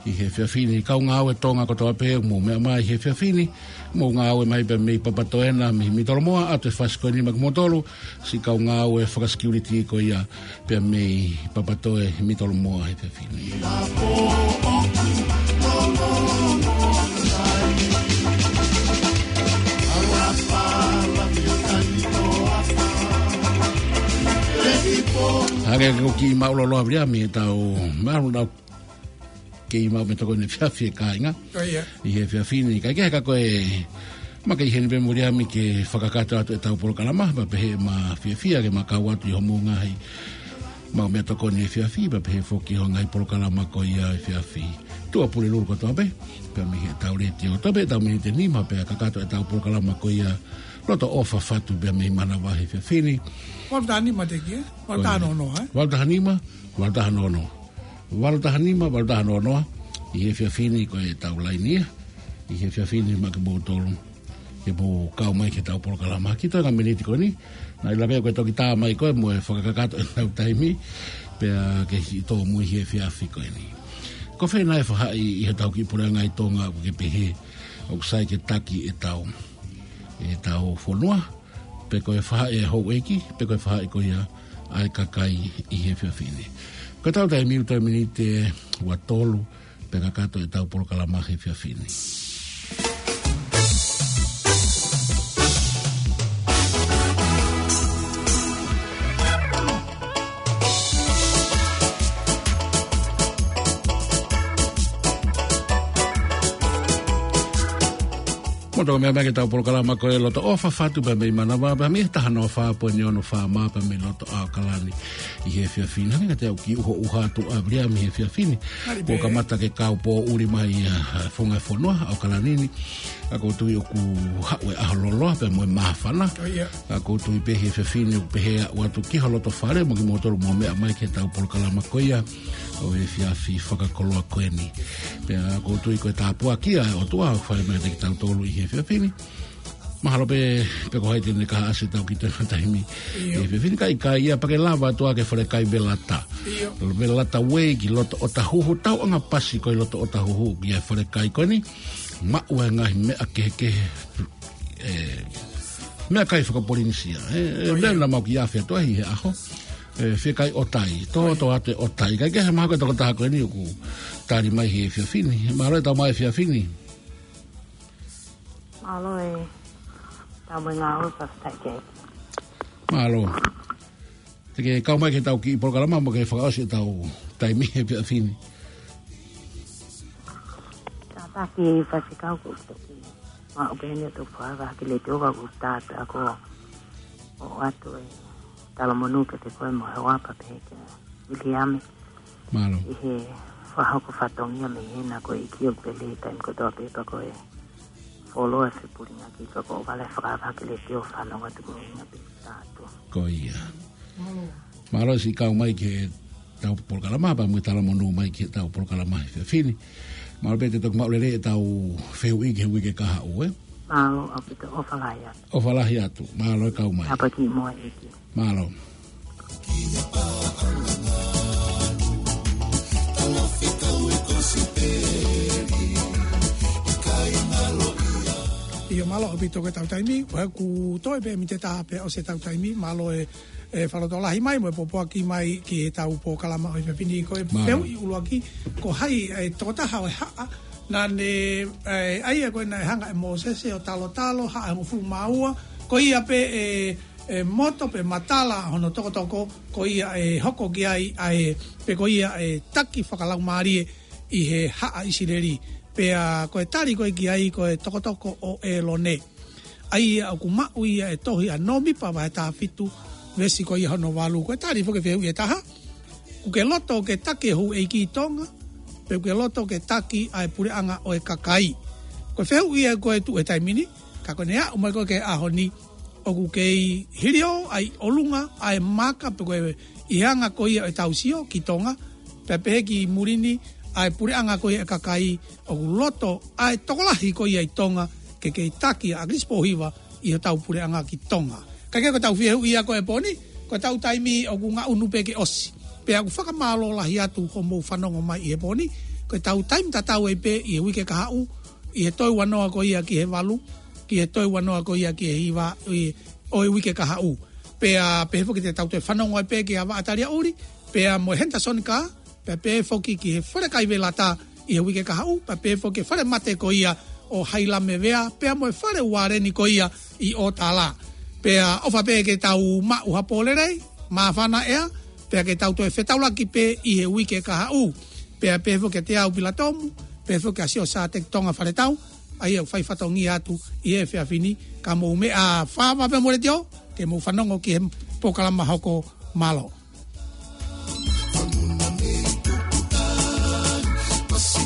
ʻi he efiafi ni. Kau ngāue Tonga kotoa pē ʻoku mou meʻa mai he efiafi ni, mou ngāue mai pē mei Papatoe na, mei, mei Tolomoa, ʻa, toe fasi ko eni maʻa kimoutolu, siʻi kau ngāue fakasecurity ko ia pea mei Papatoe mei Tolomoa he efiafi ni. Hangē ko e kiʻi māʻulalo ʻa Viliami, ʻetau māʻulalo kei maʻu meʻatokoni efiafi e kāinga. ʻIo. ʻI he efiafi ni, kae kehe ka ko e, ma kei heni pē Muliami ke fakakakato atu ʻetau polokalama, pea pehē ʻema fiefia ke ma kau atu ʻi hoʻomou ngaahi maʻu meʻatokoni efiafi, pea pehē foki hoʻo ngaahi polokalama ko ia efiafi. Tuʻa Pulelulu kotoa pē, pea mei heʻetau letiō. Toe pē ʻetau miniti ʻe nima, pea kakato ʻetau polokalama ko ia Loto ʻOfa Fatu pea mei Manavahē he efiafi ni. Valu taha nima te ki, ē? Valu taha noa noa, ē? Valu taha nima, valu taha noa noa. Valu taha nima, valu taha noa noa. ʻI he efiafi ni ko ʻetau laini ia. ʻI he efiafi ni maʻa kimoutolu ke mou kau mai ki heʻetau polokalama. Ki he toenga miniti ko eni, naʻe ʻiloa pē ko e toki tā mai ko ē mo e fakakakato ʻetau taimi, pea ke siʻi tōmui he efiafi ko eni. Ko fē nai e faʻahi ʻi heʻetau kiʻi puleʻanga ʻi Tonga ʻoku ke pehē ʻoku sai ke taki ʻetau, ʻetau fonua, pe ko e faʻahi ʻa e houʻeiki, pe ko e faʻahi ko ia ʻa e kakai ʻi he efiafi ni. Ko ʻetau taimi ʻoku toe miniti ʻe ua tolu, pea kakato ʻetau polokalama he efiafi ni. Mou toki meʻa mai ki heʻetau polokalama ko e Loto ʻOfa Fatu pea mei Manavahē, pea mei he taha noa fā poini ono FM pea mei loto ʻAokalani ʻi he efiafi ni. Hangē ka te u kiʻi ʻuhoʻuha atu ʻa Viliami he efiafi ni. Mālie pē. Kuo kamata ke kau pōʻuli mai ʻa e funga fonua ʻAokalani ni. Ka ʻoku ou tui ʻoku haʻu e ʻaho loloa pea mo e māfana. ʻIo. Ka ʻoku ou tui pē he efiafi ni ʻoku pehē ʻaupito ki ho loto fale mo kimoutolu mou meʻa mai ki heʻetau polokalama ko ia ʻo e efiafi fakakoloa ko eni. Pea ʻoku ou tui ko e tāpuaki ia ʻa e ʻOtua ʻoku fai mai kiate kitautolu ʻi he efiafi ni. Mahalo pē, pe ko hai te ne kaihaʻasi ʻetau kiʻi toenga taimi. ʻIo. ʻI he efiafi ni ka ʻikai ia pea ke lava atu ʻa e falekai Velata. ʻIo. Velata Way ki loto ʻOtahuhu, tauʻanga pasi ko ē loto ʻOtahuhu ki he falekai ko eni. Maʻu e ngaahi meʻa kehekehe, ē, meʻakai fakapolinisia, ē, ʻIo. Meʻa naʻa mau kiʻi afe atu ai he ʻaho. Ē, fiekaʻi ʻotai, tōtō atu e ʻotai. Kae kehe mahalo ko e tokotaha ko eni ʻoku tali mai he efiafi ni. Mālō e tau mai efiafi ni. Mālō e tau mai ngā ʻofa, fakafetaʻi ki he ʻEiki. Mālō. Te ke kau mai ki heʻetau kiʻi polokalama mo ke fakaʻosi ʻetau taimi he efiafi ni. Kātaki faifekau, ko e toki maʻu pē eni ʻo toki fakahā ki he letiō ka ʻoku tātā ko ʻoatu e talamonū kiate koe mo e hoa pea pehē kia Viliami. Mālō. ʻI he fakahoko fatongia mei hena ko e ʻEiki ʻoku pele taimi kotoa pē pea ko e fuoloa e fepulinga ki ka ko e vale fakahā ki he letiō fanongo atu ko e ʻuhinga pē ʻoku tātā. Ko ia. Mālō. Mālō siʻi kau mai ki heʻetau polokalama pea mo e talamonū mai ki heʻetau polokalama he efiafi ni. Mālō pē te toki maʻu lelei ʻetau fehuʻi ki he uike kahaʻu, ē? Mālō ʻaupito, ʻofa lahi atu. ʻOfa lahi atu. Mālō e kau mai. Tāpuaki mo e ʻEiki. Mālō. ʻIo, mālō ʻaupito ko ʻetau taimi, ʻoku toe pē miniti ʻe taha pea ʻosi ʻetau taimi, mālō e, e fakalotolahi mai, mo e pōpoaki mai ki heʻetau polokalama ʻo e efiafi ni. Ko e Mālō. Fehuʻi ʻuluaki, ko hai e tokotaha ʻo e haʻa naʻa ne, e, ʻa ia ko ē naʻe hanga ʻe Mōsese ʻo talotalo, haʻa ʻe hongofulu mā ua, ko ia pē e, e moto pe matala hono tokotoko, ko ia ʻe hoko ki ai ʻa e, pe ko ia ʻe taki fakalaumālie ʻi he haʻa ʻIsileli. Pea ko e tali ko ē ki ai ko e tokotoko ʻo ʻĒlone. ʻA ia ʻoku maʻu ia ʻi he tohi ʻa Nōmipa vahe taha fitu, veesi ko ia hono valu. Ko e tali foki ki he fehuʻi ʻe taha, ʻoku ke loto ke taki e houʻeiki ʻi Tonga, pe ʻoku ke loto ke taki ʻa e puleʻanga ʻo e kakai? Ko e fehuʻi ia ko ē tuʻu he taimi ni, ka ko ʻene aʻu mai ko ē ki he ʻaho ni, ʻoku kei hiliō ʻa e ʻi ʻolunga ʻa e maka pe ko e ʻi he anga ko ia ʻo ʻetau sio ki Tonga, pea pehē ki muli ni ʻa e puleʻanga ko ia ʻo e kakai, ʻoku loto ʻa e tokolahi ko ia ʻi Tonga ke kei taki ʻa ʻAkilisi Pōhiva ʻi hotau puleʻanga ki Tonga. Ka ko ʻetau fehuʻi ia ko ē he pō ni, ko ʻetau taimi ʻoku ngaʻunu pē ke ʻosi. Pea ʻoku fakamālō lahi atu hoʻomou fanongo mai ʻi he pō ni, ko ʻetau taimi tatau ai pē ʻi he uike kahaʻu, ʻi he toe ua noa ko ia ki he valu, ki he toe ua noa ko ia ki he hiva, ʻi, ʻo e uike kahaʻu. Pea pehē foki te tau toe fanongo ai pē kia Vaʻa Taliaʻuli, pea mo e Henderson Kaa, pea pehē foki ki he falekai Velata ʻi he uike kahaʻu, pea pehē foki ki he falemate ko ia ʻo Hailame Vea, pea mo e fale ualeni ko ia ʻi ʻŌtala. Pea ʻofa pē ke tau maʻu ha pō lelei, māfana ʻea, pea ke tau toe fetaulaki pē ʻi he uike kahaʻu. Pea pehē foki kiate au Pilatomu, pehē foki kia Siosiua Teki Tonga Faletau, ʻa ia ʻoku fai fatongia atu ʻi he efiafi ni, ka mou meʻa fāfā pē mo e letiō, ke mou fanongo ki he polokalama hoko. Mālō.